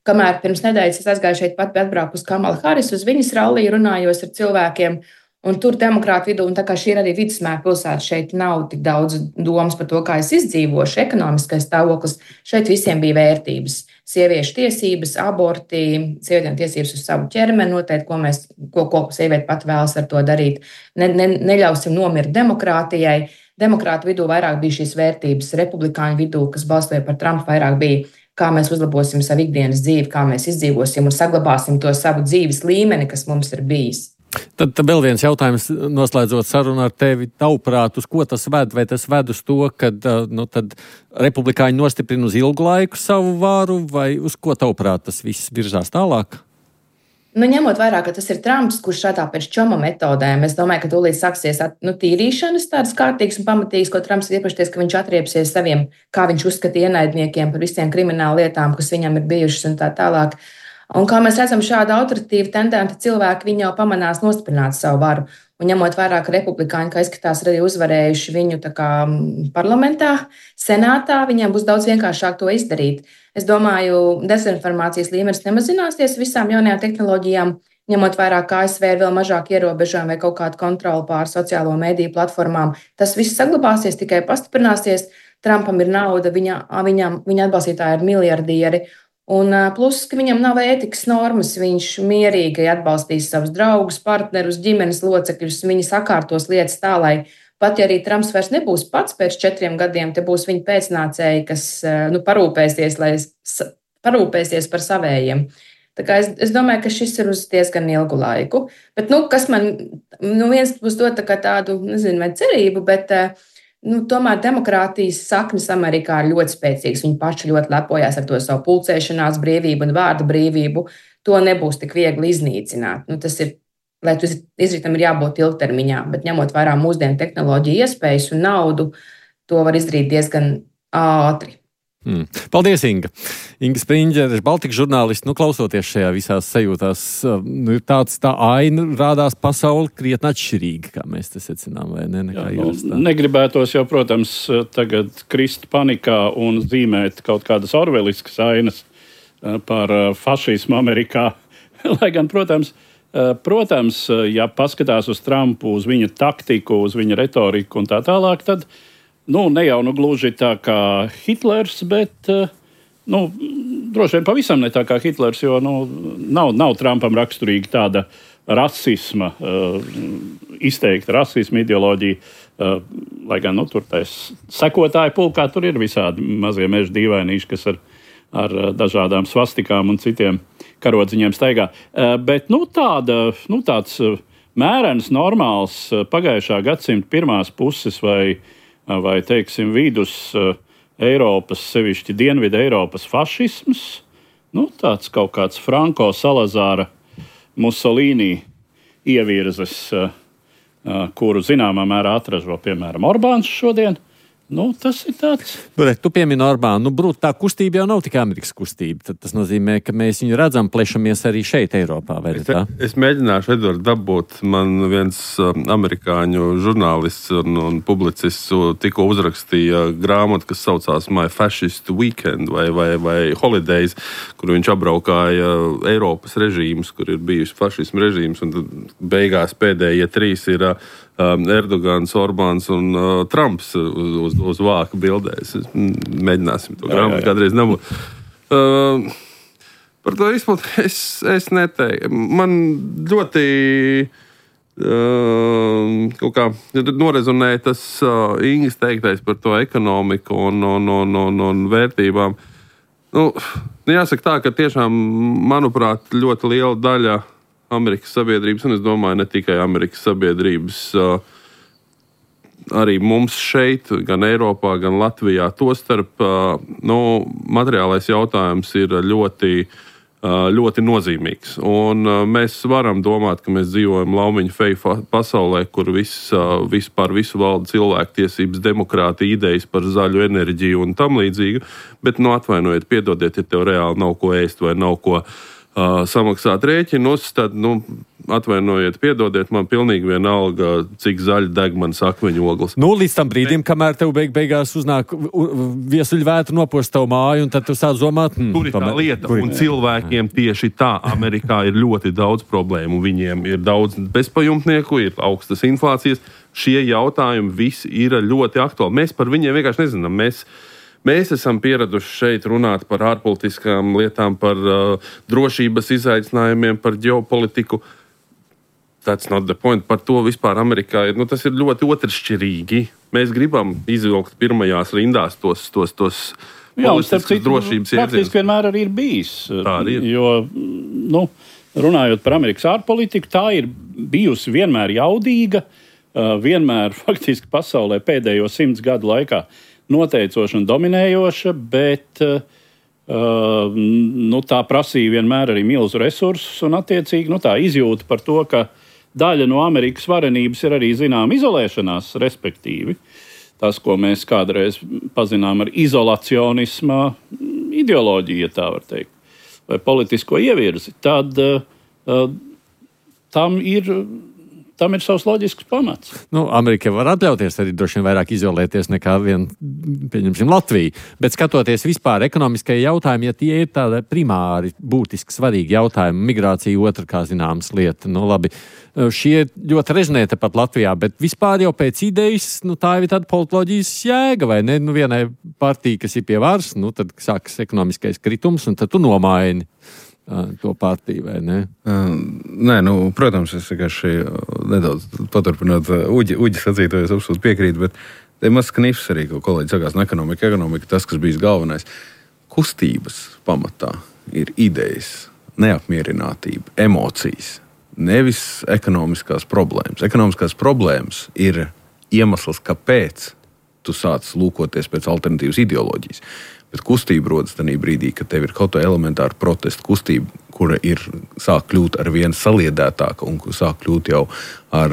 Speaker 8: Kamēr pirms nedēļas es aizgāju šeit pat atbraukt uz Kamalu Harris, uz viņas ralliju runājos ar cilvēkiem, un tur demokrātu vidū, un tā kā šī ir arī vidusmēra pilsēta, šeit nav tik daudz domas par to, kā es izdzīvošu, ekonomiskais stāvoklis, šeit visiem bija vērtības. Sieviešu tiesības, aborti, sievietēm tiesības uz savu ķermeni, noteikti, ko sieviete pat vēlas ar to darīt. Neļausim nomirt demokrātijai. Demokrātu vidū vairāk bija šīs vērtības, republikāņu vidū, kas balstoja par Trumpu, vairāk bija, kā mēs uzlabosim savu ikdienas dzīvi, kā mēs izdzīvosim un saglabāsim to savu dzīves līmeni, kas mums ir bijis.
Speaker 3: Tad vēl viens jautājums, noslēdzot sarunu ar tevi, tavuprāt, uz ko tas ved? Vai tas ved uz to, ka tad republikāņi nostiprina uz ilgu laiku savu varu, vai uz ko tavuprāt tas viss virzās tālāk?
Speaker 8: Ņemot vērā, ka tas ir Trumps, kurš strādā pēc čoma metodēm, es domāju, ka tūlīt sāksies tīrīšanas tādas kārtīgas un pamatīgas, ko Trumps ir iepašies, ka viņš atriepsies saviem, kā viņš uzskata ienaidniekiem par visiem kriminālu lietām, kas viņam ir bijušas un tā tālāk. Un kā mēs redzam, šāda autoritīva tendenta cilvēki, viņi jau pamanās nostiprināt savu varu. Un ņemot vērā, ka republikāņi, kā izskatās, ir arī uzvarējuši viņu parlamentā, senātā, viņiem būs daudz vienkāršāk to izdarīt. Es domāju, dezinformācijas līmenis nemazināsies visām jaunajām tehnoloģijām, ņemot vērā, ka ASV ir vēl mazāk ierobežojumi vai kaut kāda kontrola pār sociālo mediju platformām. Tas viss saglabāsies, tikai pastiprināsies. Trumpam ir nauda, viņa atbalstītāji ir miljardieri. Un plus, ka viņam nav ētikas normas, viņš mierīgi atbalstīs savus draugus, partnerus, ģimenes locekļus, viņi sakārtos lietas tā, lai pat ja arī Trumps vairs nebūs pats pēc 4 gadiem, te būs viņa pēcnācēji, kas parūpēsies, lai parūpēsies par savējiem. Tā kā es domāju, ka šis ir uz diezgan ilgu laiku. Bet, kas man viens būs dot tādu, nezinu, vai cerību, bet tomēr demokrātijas saknes Amerikā ir ļoti spēcīgas. Viņi paši ļoti lepojās ar to savu pulcēšanās brīvību un vārda brīvību. To nebūs tik viegli iznīcināt. Tas ir, lai tu izritam, ir jābūt ilgtermiņā, bet ņemot vērā mūsdienu tehnoloģiju iespējas un naudu, to var izdarīt diezgan ātri.
Speaker 3: Paldies, Inga. Inga Spriņģere, Baltika žurnālisti. Klausoties šajā visās sajūtās, tā aina rādās pasauli krietni atšķirīga, kā mēs te secinām, vai ne?
Speaker 2: Negribētos jau, protams, tagad krist panikā un zīmēt kaut kādas orveliskas ainas par fašismu Amerikā. Lai gan, protams, ja paskatās uz Trumpu, uz viņa taktiku, uz viņa retoriku un tā tālāk, tad ne jau gluži tā kā Hitlers, bet droši vien pavisam ne tā kā Hitlers, jo nav Trumpam raksturīga tāda rasisma, izteikta rasisma ideoloģija, lai gan tur tais sekotāju pulkā tur ir visādi mazie meža dīvainīši, kas ar dažādām svastikām un citiem karodziņiem staigā. Bet tāds mērens, normāls pagājušā gadsimta pirmās puses vai teiksim, vidus Eiropas, sevišķi Dienvidu Eiropas fašisms, tāds kaut kāds Franko Salazāra Musolīni ievirzes, kuru zināmā mērā atražo, piemēram, Orbāns šodien. Tas ir tāds.
Speaker 3: Tu piemini Orbānu. Tā kustība jau nav tikai Amerikas kustība. Tad tas nozīmē, ka mēs viņu redzam, plešamies arī šeit, Eiropā.
Speaker 4: Es mēģināšu, Edvard, dabūt. Man viens amerikāņu žurnālists un publicists tikko uzrakstīja grāmatu, kas saucās My Fascist Weekend vai Holidays, kur viņš apbraukāja Eiropas režīmus, kur ir bijuši fašismu režīmus, un beigās pēdējie 3 ir Erdogans, Orbāns un Trumps uz vāka bildēs. Mēģināsim to grāmatu kādreiz dabūt. Par to izpildu es neteiktu. Man ļoti kaut kā norezonēja tas Ingas teiktais par to ekonomiku un vērtībām. Jāsaka tā, ka tiešām, manuprāt, ļoti liela daļa Amerikas sabiedrības, un es domāju, ne tikai Amerikas sabiedrības, arī mums šeit, gan Eiropā, gan Latvijā, tostarp, materiālais jautājums ir ļoti nozīmīgs. Un mēs varam domāt, ka mēs dzīvojam laumiņu feju pasaulē, kur par visu valda cilvēktiesības, demokrātija, idejas par zaļu enerģiju un tam līdzīgu, bet, atvainojiet, piedodiet, ja tev reāli nav ko ēst vai nav ko samaksāt rēķinus, tad, atvainojiet, piedodiet, man pilnīgi vienalga, cik zaļi deg manas akmeņu ogles.
Speaker 3: Līdz tam brīdim, kamēr tev beigās uznāk viesuļvētra nopost tavu māju, un tad tu sāc domāt,
Speaker 4: tur ir tā lieta, un cilvēkiem tieši tā Amerikā ir ļoti daudz problēmu. Viņiem ir daudz bezpajumtnieku, ir augstas inflācijas. Šie jautājumi visi ir ļoti aktuāli. Mēs par viņiem vienkārši nezinām. Mēs esam pieraduši šeit runāt par ārpolitiskām lietām, par drošības izaicinājumiem, par ģeopolitiku. That's not the point. Par to vispār Amerikā ir. Tas ir ļoti otršķirīgi. Mēs gribam izvilkt pirmajās rindās tos politiskas drošības iedzienus.
Speaker 2: Praktiski vienmēr arī ir bijis.
Speaker 4: Tā arī ir.
Speaker 2: Jo, runājot par Amerikas ārpolitiku, tā ir bijusi vienmēr jaudīga, vienmēr faktiski pasaulē pēdējo 100 gadu laikā noteicoša un dominējoša, bet tā prasīja vienmēr arī milzu resursus un attiecīgi tā izjūta par to, ka daļa no Amerikas varenības ir arī zinām izolēšanās, respektīvi. Tas, ko mēs kādreiz pazinām ar izolacionisma ideoloģiju, ja tā var teikt, vai politisko ievirzi, tad tam ir savs loģisks pamats.
Speaker 3: Amerika var atļauties arī droši vien vairāk izolēties nekā pieņemsim, Latviju. Bet skatoties vispār ekonomiskajie jautājumi, ja tie ir tādi primāri, būtiski svarīgi jautājumi, migrācija otra, kā zināms, lieta. Labi, šie ļoti rezonē tepat Latvijā, bet vispār jau pēc idejas, tā ir tāda politoloģijas jēga, vai ne? Vienai partija, kas ir pie varas, tad sākas ekonomiskais kritums, un tad tu nomaini to partiju, vai ne?
Speaker 5: Nē, protams, es vienkārši nedaudz paturpinot Uģi sacīto, es absolūti piekrītu, bet te maz knifs arī, ko kolēģi sakās, ekonomika, tas, kas bijis galvenais. kustības pamatā ir idejas, neapmierinātība, emocijas, nevis ekonomiskās problēmas. Ekonomiskās problēmas ir iemesls, kāpēc tu sāc lūkoties pēc alternatīvas ideoloģijas. Bet kustība rodas tajā brīdī, kad tev ir kaut kāda elementāra protesta kustība, kura sāk kļūt ar vien saliedētāka un sāk kļūt jau ar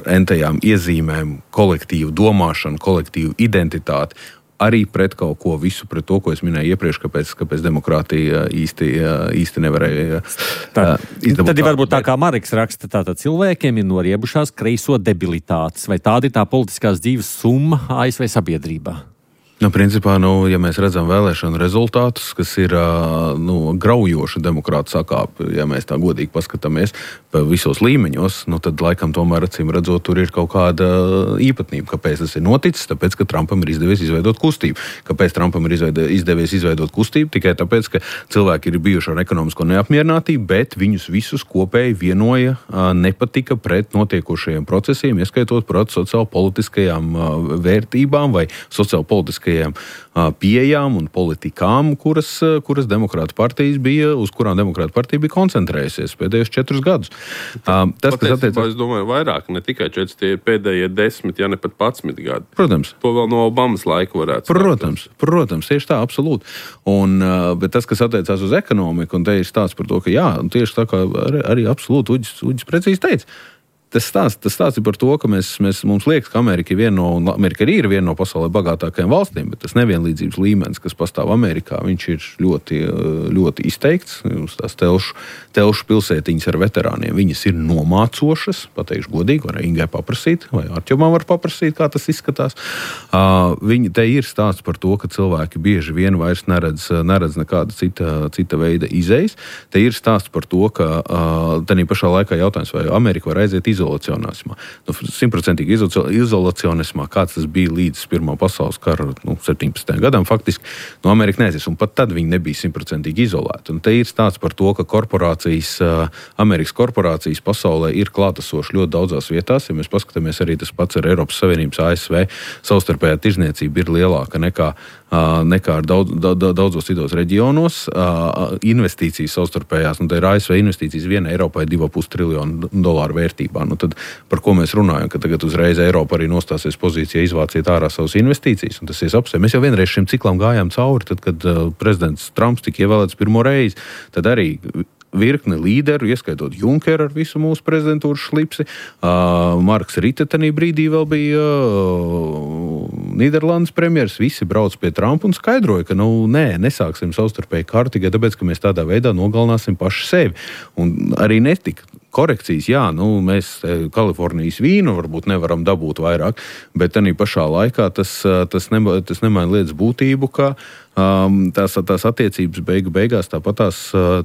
Speaker 5: entajām iezīmēm, kolektīvu domāšanu, kolektīvu identitāti, arī pret kaut ko visu, pret to, ko es minēju iepriekš, kāpēc demokrātija īsti nevarēja izdabūt.
Speaker 3: Tad varbūt tā kā Marks raksta, tātad cilvēkiem ir noriebušās kreiso debilitātes, vai tāda ir tā politiskās dzīves summa ASV sabiedrībā?
Speaker 5: Principā, ja mēs redzam vēlēšanu rezultātus, kas ir graujoši demokrātu sakāpi, ja mēs tā godīgi paskatāmies visos līmeņos, tad laikam tomēr acīm redzot, tur ir kaut kāda īpatnība. Kāpēc tas ir noticis? Tāpēc, ka Trumpam ir izdevies izveidot kustību. Kāpēc Trumpam ir izdevies izveidot kustību? Tikai tāpēc, ka cilvēki ir bijuši ar ekonomisko neapmierinātību, bet viņus visus kopēji vienoja nepatika pret notiekošajiem procesiem, ieskaitot pret sociālpolitiskajām vērtībām vai sociālpolitiskajām pieejām un politikām, kuras demokrātu partijas bija, uz kurām demokrātu partija bija koncentrējusies pēdējos 4 gadus.
Speaker 4: Es domāju, vairāk, ne tikai 4, tie ir pēdējie 10, ja ne pat 11 gadi.
Speaker 5: Protams.
Speaker 4: To vēl no Obamas laika varētu
Speaker 5: Protams, tieši tā, absolūti. Bet tas, kas attiecās uz ekonomiku, un te ir stāsts par to, ka jā, tieši tā kā arī absolūti Uģis precīzi teica, Tas stāsts ir par to, ka mums liekas, ka Amerika ir viena no pasaulē bagātākajām valstīm, bet tas nevienlīdzības līmenis, kas pastāv Amerikā, viņš ir ļoti, ļoti izteikts. Tās telšu pilsētiņas ar veterāniem, viņas ir nomācošas, pateikšu godīgi, var Ingai paprasīt, vai Arķomam var paprasīt, kā tas izskatās. Te ir stāsts par to, ka cilvēki bieži vien vairs neredz nekāda cita veida izejas. Te ir stāsts par to, ka tādā pašā laikā jautājums, vai Amerika var aiziet izolacionismā. 100% izolacionismā, kāds tas bija līdz Pirmā pasaules kara 17. gadam, faktiski, Amerika neaizies, un pat tad viņi nebija 100% izolēti. Un te ir stāsts par to, ka Amerikas korporācijas pasaulē ir klātesoši ļoti daudzās vietās. Ja mēs paskatāmies arī tas pats ar Eiropas Savienības ASV, savstarpējā tirzniecība ir lielāka nekā ar daudzos citos reģionos. Investīcijas savstarpējās, tā ir ASV investīcijas viena Eiropai $2,5 triljonu vērtībā. Tad par ko mēs runājam, ka tagad uzreiz Eiropa arī nostāsies pozīcijā izvāciet ārā savas investīcijas, un tas ir apsē. Mēs jau vienreiz šim ciklam gājām cauri, tad, kad prezidents Trumps tika ievēlēts pirmo reizi, tad arī virkne līderu, ieskaitot Junkeru ar visu mūsu prezidentūras šlipsi. Marks Rite tanī brīdī vēl bija Nīderlandes premjeras, visi brauc pie Trumpa un skaidroja, ka nesāksim savstarpēji karu tikai tāpēc, ka mēs tādā veidā nogalināsim paši sevi. Un arī netika korekcijas, mēs Kalifornijas vīnu varbūt nevaram dabūt vairāk, bet tanī pašā laikā tas nemaina lietas būtību, ka tās attiecības beigās tāpat tās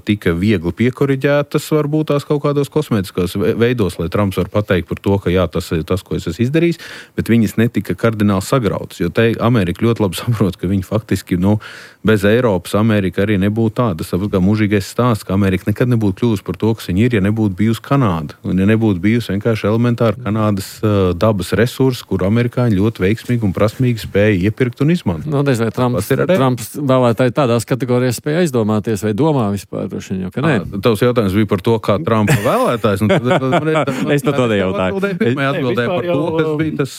Speaker 5: tika viegli piekoriģētas, varbūt tās kaut kādos kosmētiskos veidos, lai Trumps var pateikt par to, ka jā, tas ir tas, ko es esmu izdarījis, bet viņas netika kardināli sagrautas, jo te Amerika ļoti labi saprot, ka viņi faktiski, bez Eiropas Amerika arī nebūtu tāda. Tas kā mūžīgais stāsts, ka Amerika nekad nebūtu kļuvusi par to, kas viņa ir, ja nebūtu bijusi Kanāda, un ja nebūtu bijusi vienkārši elementāri Kanādas dabas resursi, kur amerikāņi ļoti veiksmīgi un prasmīgi spēja iepirkt un izmantot.
Speaker 3: Vai Trumps vēlētāji tādās kategorijās spēja aizdomāties vai domā vispār?
Speaker 5: Tavs jautājums bija par to, kā Trumpa vēlētājs.
Speaker 3: Es par to nejautāju.
Speaker 5: Atbildēju par to, kas bija tas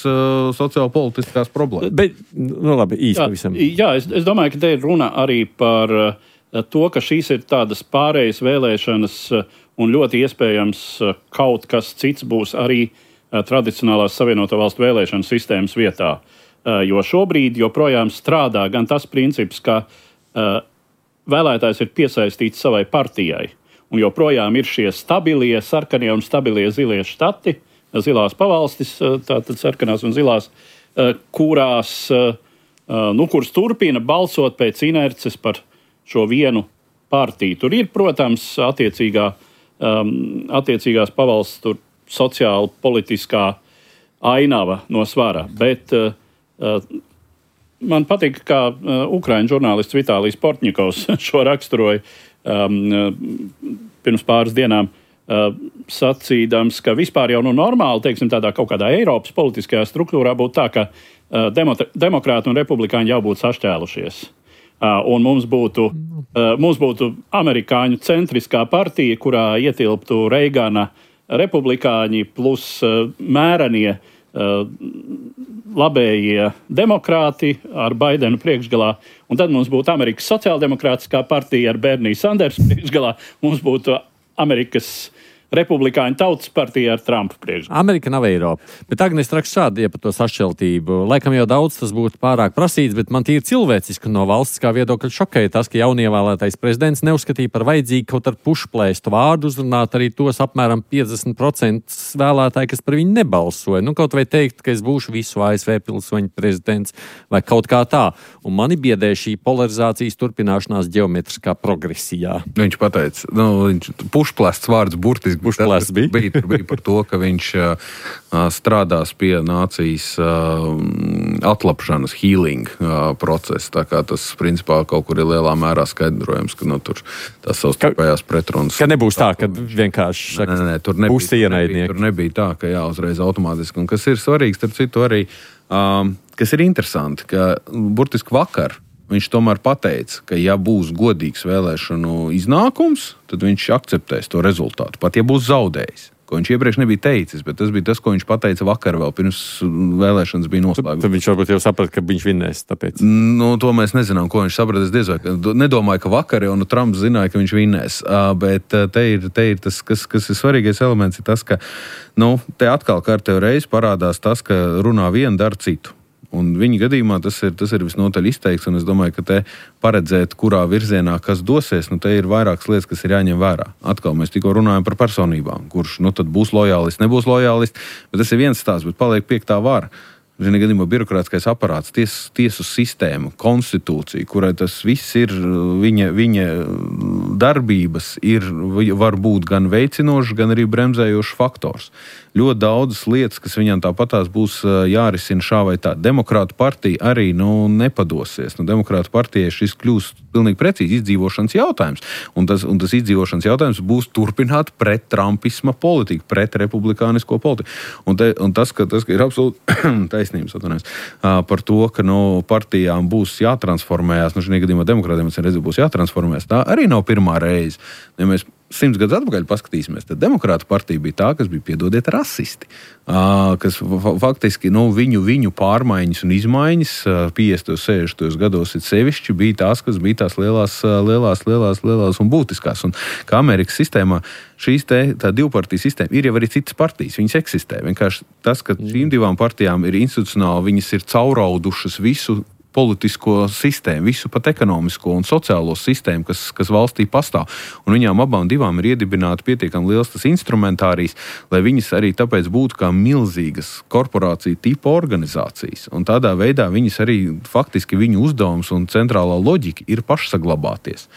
Speaker 5: sociālpolitiskās problēmas.
Speaker 3: Bet, labi, īsti pavisam.
Speaker 2: Jā, es domāju, ka te ir runa arī par to, ka šīs ir tādas pārējas vēlēšanas un ļoti iespējams kaut kas cits būs arī tradicionālās Savienoto Valstu vēlēšanu sistēmas vietā. Jo šobrīd joprojām strādā gan tas princips, ka vēlētājs ir piesaistīts savai partijai, un joprojām ir šie stabilie, sarkanie un stabilie zilie štati, zilās pavalstis, tātad sarkanās un zilās, kuras turpina balsot pēc inerces par šo vienu partiju. Tur ir, protams, attiecīgās pavalsts, tur sociāli politiskā ainava no svara, bet man patīk, kā ukraiņu žurnālists Vitālijs Portņikovs šo raksturoja pirms pāris dienām, sacīdams, ka vispār jau normāli, teiksim, tādā kaut kādā Eiropas politiskajā struktūrā būtu tā, ka demokrāti un republikāņi jau būtu sašķēlušies. Un mums būtu amerikāņu centriskā partija, kurā ietilptu Reigana republikāņi plus mērenie labējie demokrāti ar Baidenu priekšgalā, un tad mums būtu Amerikas sociāldemokrātiskā partija ar Bernie Sandersu priekšgalā, mums būtu Amerikas republikāņu tautas partija ar Trumpu priekšgalā.
Speaker 3: Amerika nav Eiropa. Bet Agnēs raksta šādi, ja par to sašķeltību. Laikam jau daudz tas būtu pārāk prasīts, bet man tīri cilvēciski no valstiskā viedokļa šokēja tas, ka jaunievēlētais prezidents neuzskatīja par vajadzīgu kaut ar pušplēstu vārdu uzrunāt arī tos apmēram 50% vēlētāji, kas par viņu nebalsoja. Nu, kaut vai teikt, ka es būšu visu ASV pilsoņu prezidents vai kaut kā tā. Un mani biedē šī polarizācijas turpināšanās ģeometriskā progresijā.
Speaker 5: Viņš pateica, pušplēsts vārds burtiski bija par to, ka viņš strādās pie nācijas atlapšanas, healing procesa. Tā kā tas, principā, kaut kur ir lielā mērā skaidrojams, ka tur tās savstarpējās pretrunas.
Speaker 3: Ka nebūs tā, ka vienkārši
Speaker 5: tur nebija tā, ka uzreiz automātiski. Un kas ir svarīgs, starp citu arī, kas ir interesanti, ka burtiski vakar viņš tomēr pateica, ka ja būs godīgs vēlēšanu iznākums, tad viņš akceptēs to rezultātu, pat ja būs zaudējis. Ko viņš iepriekš nebija teicis, bet tas bija tas, ko viņš pateica vakar vēl pirms vēlēšanas bija noslēgts.
Speaker 3: Tad viņš varbūt jau saprata, ka viņš vinnēs, tāpēc.
Speaker 5: To mēs nezinām, ko viņš saprata. Es diez vai nedomāju, ka vakar jau Trumps zināja, ka viņš vinnēs, bet te ir tas, kas ir svarīgais elements, ir tas, ka te atkal kārtējo reizi parādās tas, ka runā vienu, dara citu. Un viņa gadījumā tas ir visnotaļ izteikts, un es domāju, ka te paredzēt, kurā virzienā kas dosies, te ir vairākas lietas, kas ir jāņem vērā. Atkal mēs tikko runājam par personībām, kurš tad būs lojālists, nebūs lojālists, bet tas ir viens stāsts, bet paliek piektā vara. Viņa gadījumā birokrātiskais aparāts, tiesu sistēma, konstitūcija, kurai tas viss ir, viņa darbības var būt gan veicinošs, gan arī bremzējošs faktors. Ļoti daudzas lietas, kas viņam tāpatās būs jārisina šā vai tā. Demokrātu partija arī nepadosies. Demokrātu partijai šis kļūst pilnīgi precīzi izdzīvošanas jautājums. Un tas izdzīvošanas jautājums būs turpināt pret trumpisma politiku, pret republikānisko politiku. Un tas, ka ir absolūti taisnības par to, ka partijām būs jātransformējās, šajā gadījumā demokrātiem būs jātransformējās, tā arī nav pirmā reize. Ja mēs 100 gadus atpakaļ paskatīsimies, tad demokrātu partija bija tā, kas bija, piedodiet, rasisti. Kas faktiski viņu pārmaiņas un izmaiņas 50. un 60. gados sevišķi bija tās, kas bija tās lielās un būtiskās. Un kā Amerikas sistēmā tā divpartiju sistēma ir jau arī citas partijas, viņas eksistē. Vienkārši tas, ka šīm divām partijām ir institucionāli, viņas ir cauraudušas visu politisko sistēmu, visu pat ekonomisko un sociālo sistēmu, kas valstī pastāv. Un viņām abām divām ir iedibināta pietiekami liels tas instrumentārijs, lai viņas arī tāpēc būtu kā milzīgas korporācija tipa organizācijas. Un tādā veidā viņas arī faktiski viņu uzdevums un centrālā loģika ir pašsaglabāties.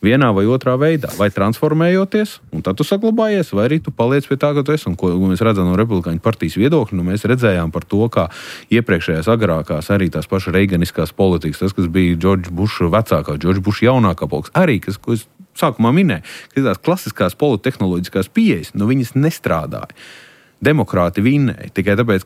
Speaker 5: Vienā vai otrā veidā, vai transformējoties, un tad tu saglabājies, vai arī tu paliec pie tā, ka tu esi. Un ko mēs redzam no republikāņu partijas viedokļa, mēs redzējām par to, kā iepriekšējās agrākās arī tās pašas reiganiskās politikas, tas, kas bija Džordža Buša vecākā, Džordža Buša jaunākā politikas, arī, ko es sākumā minēju, ka tās klasiskās politehnoloģiskās pieejas, viņas nestrādāja. Demokrāti vinnēja tikai tāpēc,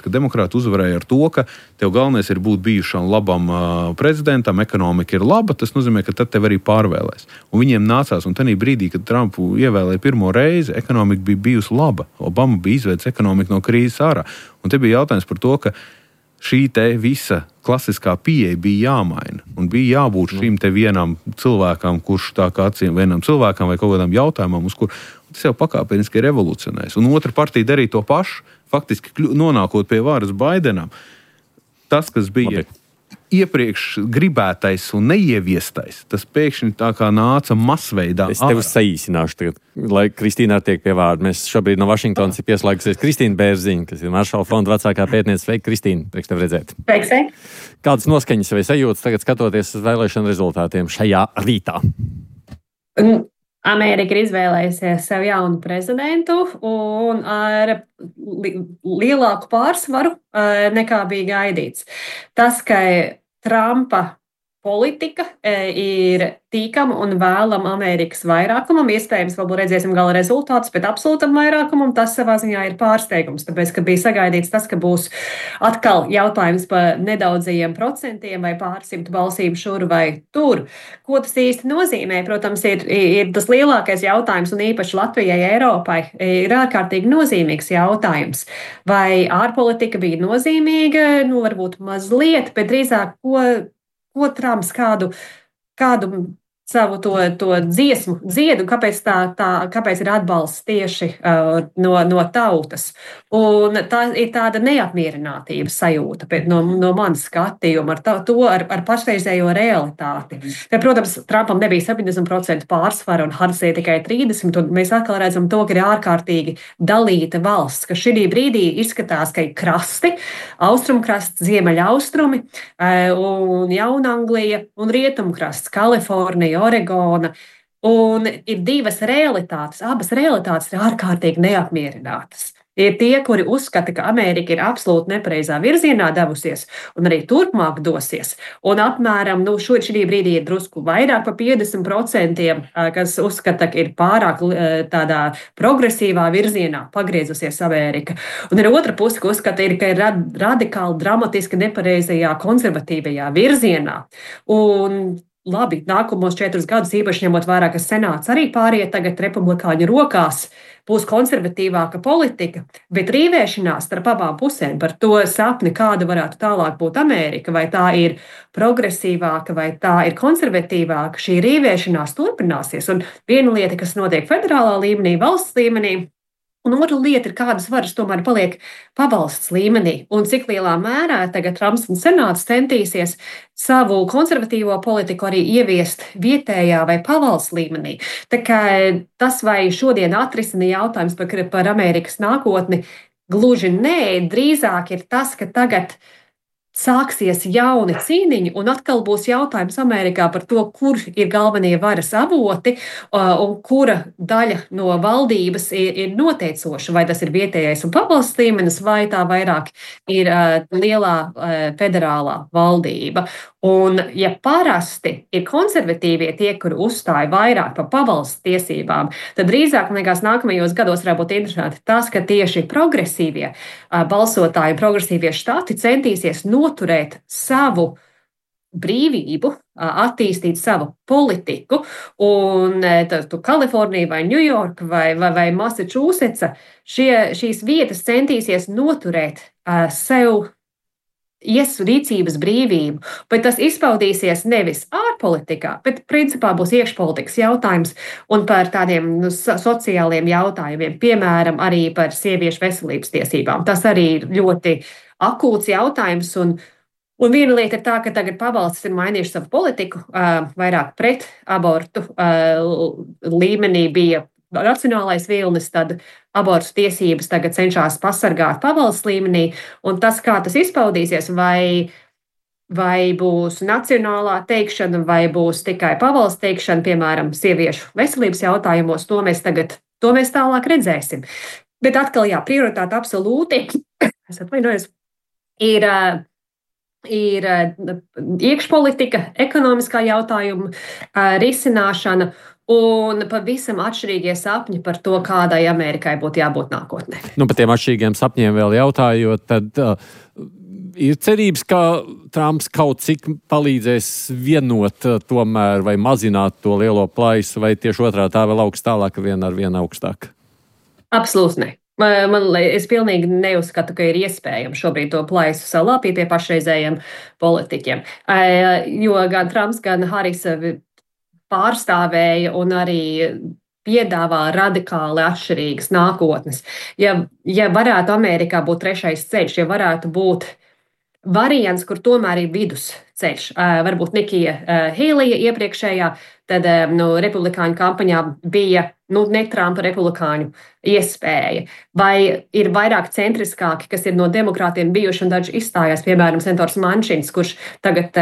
Speaker 5: ka demokrāti uzvarēja ar to, ka tev galvenais ir būt bijušam labam prezidentam, ekonomika ir laba, tas nozīmē, ka tad tev arī pārvēlēs. Un viņiem nācās, un tajā brīdī, kad Trumpu ievēlēja pirmo reizi, ekonomika bija bijusi laba. Obama bija izveicis ekonomiku no krīzes ārā. Un te bija jautājums par to, ka šī te visa klasiskā pieeja bija jāmaina. Un bija jābūt šīm te vienam cilvēkam, kurš tā kā vienam cilvēkam vai kaut kādam jautājumam, uz kur tas jau pakāpeniski ir revolucionējis. Un otra partija darīja to pašu, faktiski nonākot pie varas Baidenam. Tas, kas bija iepriekš gribētais un neieviestais, tas pēkšņi tā kā nāca masveidā.
Speaker 3: Es tev saīsināšu tagad, lai Kristīna tiek pie vārda. Mēs šobrīd no Vašingtonas ir pieslēgusies Kristīna Bērziņa, kas ir Maršala fonda vecākā pētniece. Sveika, Kristīna, prieks tev redzēt.
Speaker 8: Sveika.
Speaker 3: Kādas noskaņas vai sajūtas tagad skatoties uz vēlēšanu rezultātiem šajā rītā?
Speaker 9: Amerika ir izvēlējusies sev jaunu prezidentu un ar lielāku pārsvaru nekā bija gaidīts. Tas, ka Trumpa politika ir tīkama un vēlama Amerikas vairākumam. Iespējams, vēl redzēsim gala rezultātus, bet absolūtam vairākumam tas savā ziņā ir pārsteigums. Tāpēc, ka bija sagaidīts tas, ka būs atkal jautājums par nedaudzajiem procentiem vai pārsimt balsīm šur vai tur. Ko tas īsti nozīmē? Protams, ir tas lielākais jautājums, un īpaši Latvijai, Eiropai, ir ārkārtīgi nozīmīgs jautājums. Vai ārpolitika bija nozīmīga? Varbūt mazliet, bet drīzāk, ko Trumps kādu savu to dziesmu dziedu, kāpēc ir atbalsts tieši no tautas. Un tā ir tāda neapmierinātības sajūta no manas skatījuma ar pašreizējo realitāti. Te, protams, Trumpam nebija 70% pārsvara un Harrisai tikai 30%, un mēs atkal redzam to, ka ir ārkārtīgi dalīta valsts, ka šī brīdī izskatās, ka ir krasti, austrumkrasts, ziemeļaustrumi, un Jaunanglija un rietumkrasts, Kalifornija, Oregona. Un ir divas realitātes. Abas realitātes ir ārkārtīgi neapmierinātas. Ir tie, kuri uzskata, ka Amerika ir absolūti nepareizā virzienā devusies un arī turpmāk dosies. Un apmēram šī brīdī ir drusku vairāk par 50%, kas uzskata, ka ir pārāk tādā progresīvā virzienā pagriezusies Amerika. Un ir otra puse, ka uzskata, ka ir radikāli dramatiski nepareizajā konservatīvajā virzienā. Un labi, nākamos 4 gadus, īpaši ņemot vērā, ka senāts arī pāriet tagad republikāņu rokās, būs konservatīvāka politika, bet rīvēšanās starp abām pusēm par to sapni, kāda varētu tālāk būt Amerika, vai tā ir progresīvāka, vai tā ir konservatīvāka, šī rīvēšanās turpināsies. Un viena lieta, kas notiek federālā līmenī, valsts līmenī, un otra lieta ir, kādas varas tomēr paliek pavalsts līmenī, un cik lielā mērā tagad Trumps un senāts centīsies savu konservatīvo politiku arī ieviest vietējā vai pavalsts līmenī. Tā kā tas, vai šodien atrisina jautājums par Amerikas nākotni, gluži nē, drīzāk ir tas, ka tagad sāksies jauni cīniņi, un atkal būs jautājums Amerikā par to, kur ir galvenie varas avoti un kura daļa no valdības ir noteicoša. Vai tas ir vietējais un pavalsts līmenis, vai tā vairāk ir lielā federālā valdība. Un, ja parasti ir konservatīvie tie, kuri uzstāja vairāk par pavalsts tiesībām, tad drīzāk, man liekas, nākamajos gados varētu būt interesanti tas, ka tieši progresīvie balsotāji, progresīvie štati centīsies noturēt savu brīvību, attīstīt savu politiku, un Kalifornija vai Ņujorka vai Massachusetts, šīs vietas centīsies noturēt sev rīcības brīvību, bet tas izpaudīsies nevis ārpolitikā, bet principā būs iekšpolitikas jautājums un par tādiem sociāliem jautājumiem, piemēram, arī par sieviešu veselības tiesībām. Tas arī ir ļoti akūts jautājums, un viena lieta ir tā, ka tagad pavalstis ir mainījuši savu politiku, vairāk pret abortu līmenī bija nacionālais vilnis, tad abortu tiesības tagad cenšas pasargāt pavalsts līmenī, un tas, kā tas izpaudīsies, vai būs nacionālā teikšana, vai būs tikai pavalsts teikšana, piemēram, sieviešu veselības jautājumos, to mēs tālāk redzēsim. Bet atkal, jā, prioritāte absolūti, es atvainojos, ir iekšpolitika, ekonomiskā jautājuma risināšana, un pavisam atšķirīgie sapņi par to, kādai Amerikai būtu jābūt nākotnē.
Speaker 3: Par tiem atšķirīgiem sapņiem vēl jautājot, tad ir cerības, ka Trumps kaut cik palīdzēs vienot tomēr vai mazināt to lielo plaisu, vai tieši otrā tā vēl augst tālāk, vien ar vienu augstāk?
Speaker 9: Absolūti ne. Es pilnīgi neuzskatu, ka ir iespējams šobrīd to plaisu salāpīt pie pašreizējiem politiķiem. Jo gan Trumps, gan Harrisa pārstāvēja un arī piedāvā radikāli atšķirīgas nākotnes. Ja varētu Amerikā būt trešais ceļš, ja varētu būt variants, kur tomēr ir vidusceļš, varbūt Nikija Heilija iepriekšējā, tad republikāņu kampaņā bija ne Trumpa republikāņu iespēja. Vai ir vairāk centriskāki, kas ir no demokrātiem bijuši un daži izstājās, piemēram, senators Mančins, kurš tagad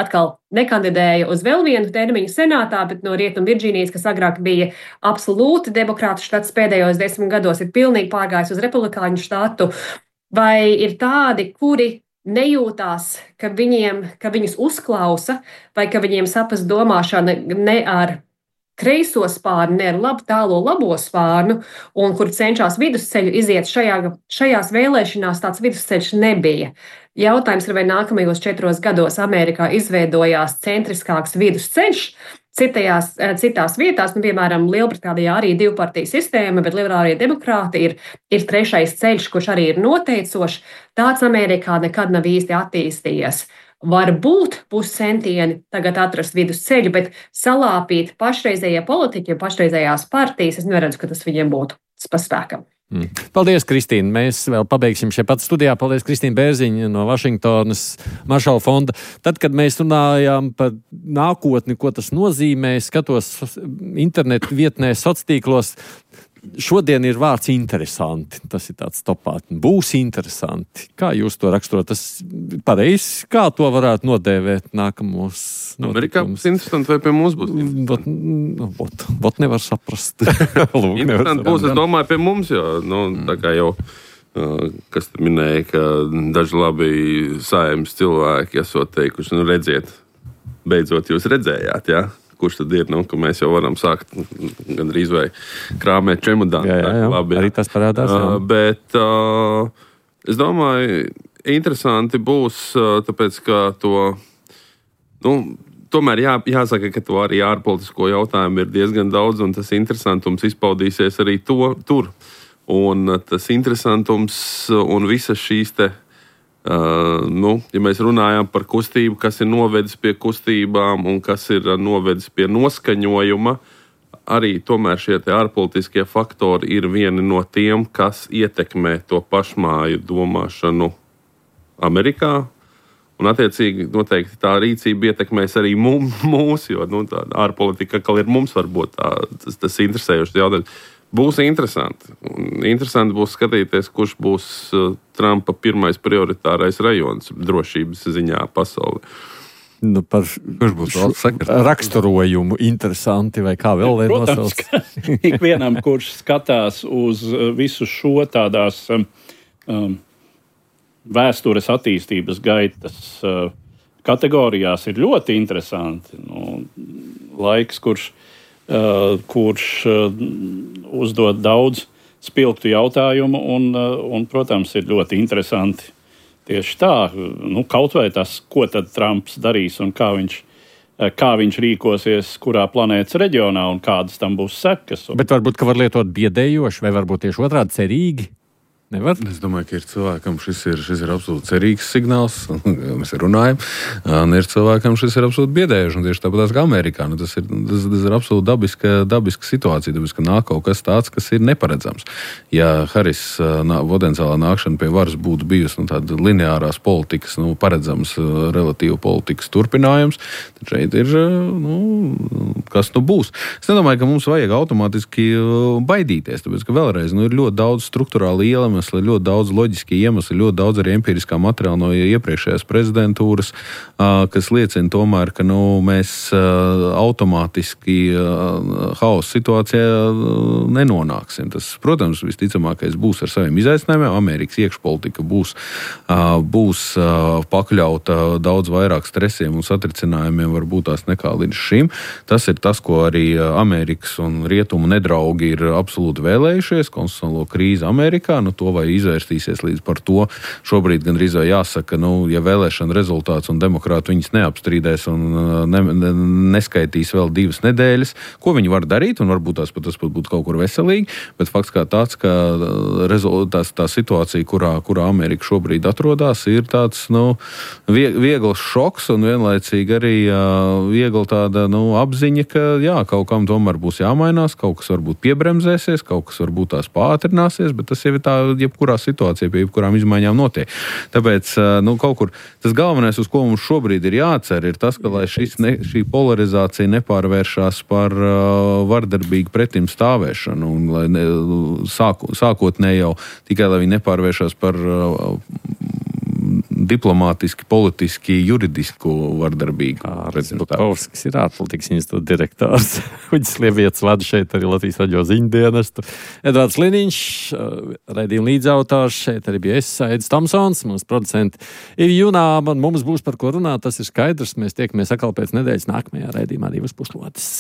Speaker 9: atkal nekandidēja uz vēl vienu termiņu senātā, bet no Rietum Virģīnijas, kas agrāk bija absolūti demokrātu štats pēdējos 10 gados, ir pilnīgi pārgājis uz republikāņu štatu. Vai ir tādi, kuri nejūtās, ka viņus uzklausa vai ka viņiem sapas domāšana ne ar kreiso spārnu, ne ar tālo labo spārnu, un kur cenšas vidusceļu iziet šajās vēlēšanās, tāds vidusceļš nebija. Jautājums ir, vai nākamajos 4 gados Amerikā izveidojās centriskāks vidusceļš, citās vietās, piemēram, Lielbritānijā arī 2-partiju sistēma, bet liberālie demokrāti ir trešais ceļš, kurš arī ir noteicošs. Tāds Amerikā nekad nav īsti attīstījies. Varbūt būs centieni tagad atrast vidusceļu, bet salāpīt pašreizējie politiķi, pašreizējās partijas, es neredzu, ka tas viņiem būtu pa spēkam.
Speaker 3: Paldies, Kristīne. Mēs vēl pabeigsim šeit pat studijā. Paldies, Kristīne Bērziņa no Vašingtonas Maršala fonda. Tad, kad mēs runājām par nākotni, ko tas nozīmē, skatos internetu vietnē, sociālos tīklos. Šodien ir vārds interesanti. Tas ir tāds topā. Būs interesanti. Kā jūs to raksturot? Tas pareizi, kā to varētu nodēvēt nākamos
Speaker 4: Amerikā būs interesanti, vai pie mums būs interesanti?
Speaker 3: Vot nevar saprast.
Speaker 4: Interesanti būs, es domāju, pie mums, jo, tā kā jau, kas te minēja, ka daži labi Saeimas cilvēki esot teikuši, redziet, beidzot jūs redzējāt, jā? Kurš tad ir, ka mēs jau varam sākt gandrīz vai krāmēt čemodānu.
Speaker 3: Jā, labi, arī tas parādās.
Speaker 4: Bet es domāju, interesanti būs, tāpēc, ka tomēr jāsaka, ka to arī ārpolitisko jautājumu ir diezgan daudz, un tas interesantums izpaudīsies arī tur. Un tas interesantums un visas šīs te ja mēs runājam par kustību, kas ir novedis pie kustībām un kas ir novedis pie noskaņojuma, arī tomēr šie ārpolitiskie faktori ir vieni no tiem, kas ietekmē to pašmāju domāšanu Amerikā. Un, attiecīgi, noteikti tā rīcība ietekmēs arī mūs, jo tā ārpolitika, kā ir mums, varbūt tas interesējošs jautājums. Būs interesanti. Interesanti būs skatīties, kurš būs Trumpa pirmais prioritārais rajons drošības ziņā pasaulē.
Speaker 3: Kurš būs raksturojumu interesanti vai kā vēl
Speaker 2: nosauc? Protams, ikvienam, kurš skatās uz visu šo tādās vēstures attīstības gaitas kategorijās, ir ļoti interesanti. Laiks, kurš uzdod daudz spilgtu jautājumu un, protams, ir ļoti interesanti tieši tā. Kaut vai tas, ko tad Trumps darīs un kā viņš rīkosies, kurā planētas reģionā un kādas tam būs sekas.
Speaker 3: Bet varbūt, ka var lietot biedējoši vai varbūt tieši otrādi cerīgi? Nevar?
Speaker 5: Es domāju, ka ir cilvēkam šis ir absolūti cerīgs signāls, mēs runājam, un ir cilvēkam šis ir absolūti biedējoši, un tieši tāpat kā Amerikā. Tas ir absolūti dabiska situācija, tāpēc, ka nāk kaut kas tāds, kas ir neparedzams. Ja Haris potenciālā nākšana pie varas būtu bijusi tāda lineārās politikas, paredzams relatīvu politikas turpinājums, tad šeit ir, kas būs. Es nedomāju, ka mums vajag automātiski baidīties, tāpēc, ka vēlreiz ir ļoti daudz struktūrāli iemesli, ļoti daudz loģiski iemesli, ļoti daudz arī empiriskā materiāla no iepriekšējās prezidentūras, kas liecina tomēr, ka mēs automātiski hausa situācijā nenonāksim. Tas, protams, visticamākais būs ar saviem izaicinājumiem. Amerikas iekšpolitika būs pakļauta daudz vairāk stresiem un satricinājumiem varbūt tās nekā līdz šim. Tas ir tas, ko arī Amerikas un rietumu nedraugi ir absolūti vēlējušies, konstitucionālo krīzi Amerikā. To vai izvērstīsies līdz par to. Šobrīd gandrīz vai jāsaka, ja vēlēšana rezultāts un demokrāti viņas neapstrīdēs un neskaitīs vēl 2 nedēļas, ko viņi var darīt, un varbūt tas pat būtu kaut kur veselīgi, bet fakts kā tāds, ka tā situācija, kurā Amerika šobrīd atrodas, ir tāds, viegls šoks un vienlaicīgi arī viegla tāda, apziņa, ka kaut kam tomēr būs jāmainās, kaut kas varbūt piebremzēsies, kaut kas varbūt tās pātrināsies, bet tas jau ir tā, jebkurā situācijā, pie jebkurām izmaiņām notiek. Tāpēc, kaut kur tas galvenais, uz ko mums šobrīd ir jācer, ir tas, ka lai šī polarizācija nepārvēršās par vardarbīgu pretim stāvēšanu, un lai sākotnēji jau tikai, lai viņi nepārvēršās par diplomātiski, politiski, juridisku vardarbīgu.
Speaker 3: Butkovskis ir ārpolitikas institūta direktors. Uģis Lievietis vada šeit arī Latvijas radio ziņdienestu. Edvards Liniņš, raidījuma līdzautors, šeit arī bija Aidis Tomsons, mūsu producenti ir Junāma, un mums būs par ko runāt, tas ir skaidrs. Mēs tiekamies atkal pēc nedēļas nākamajā raidījumā 2 puslodes.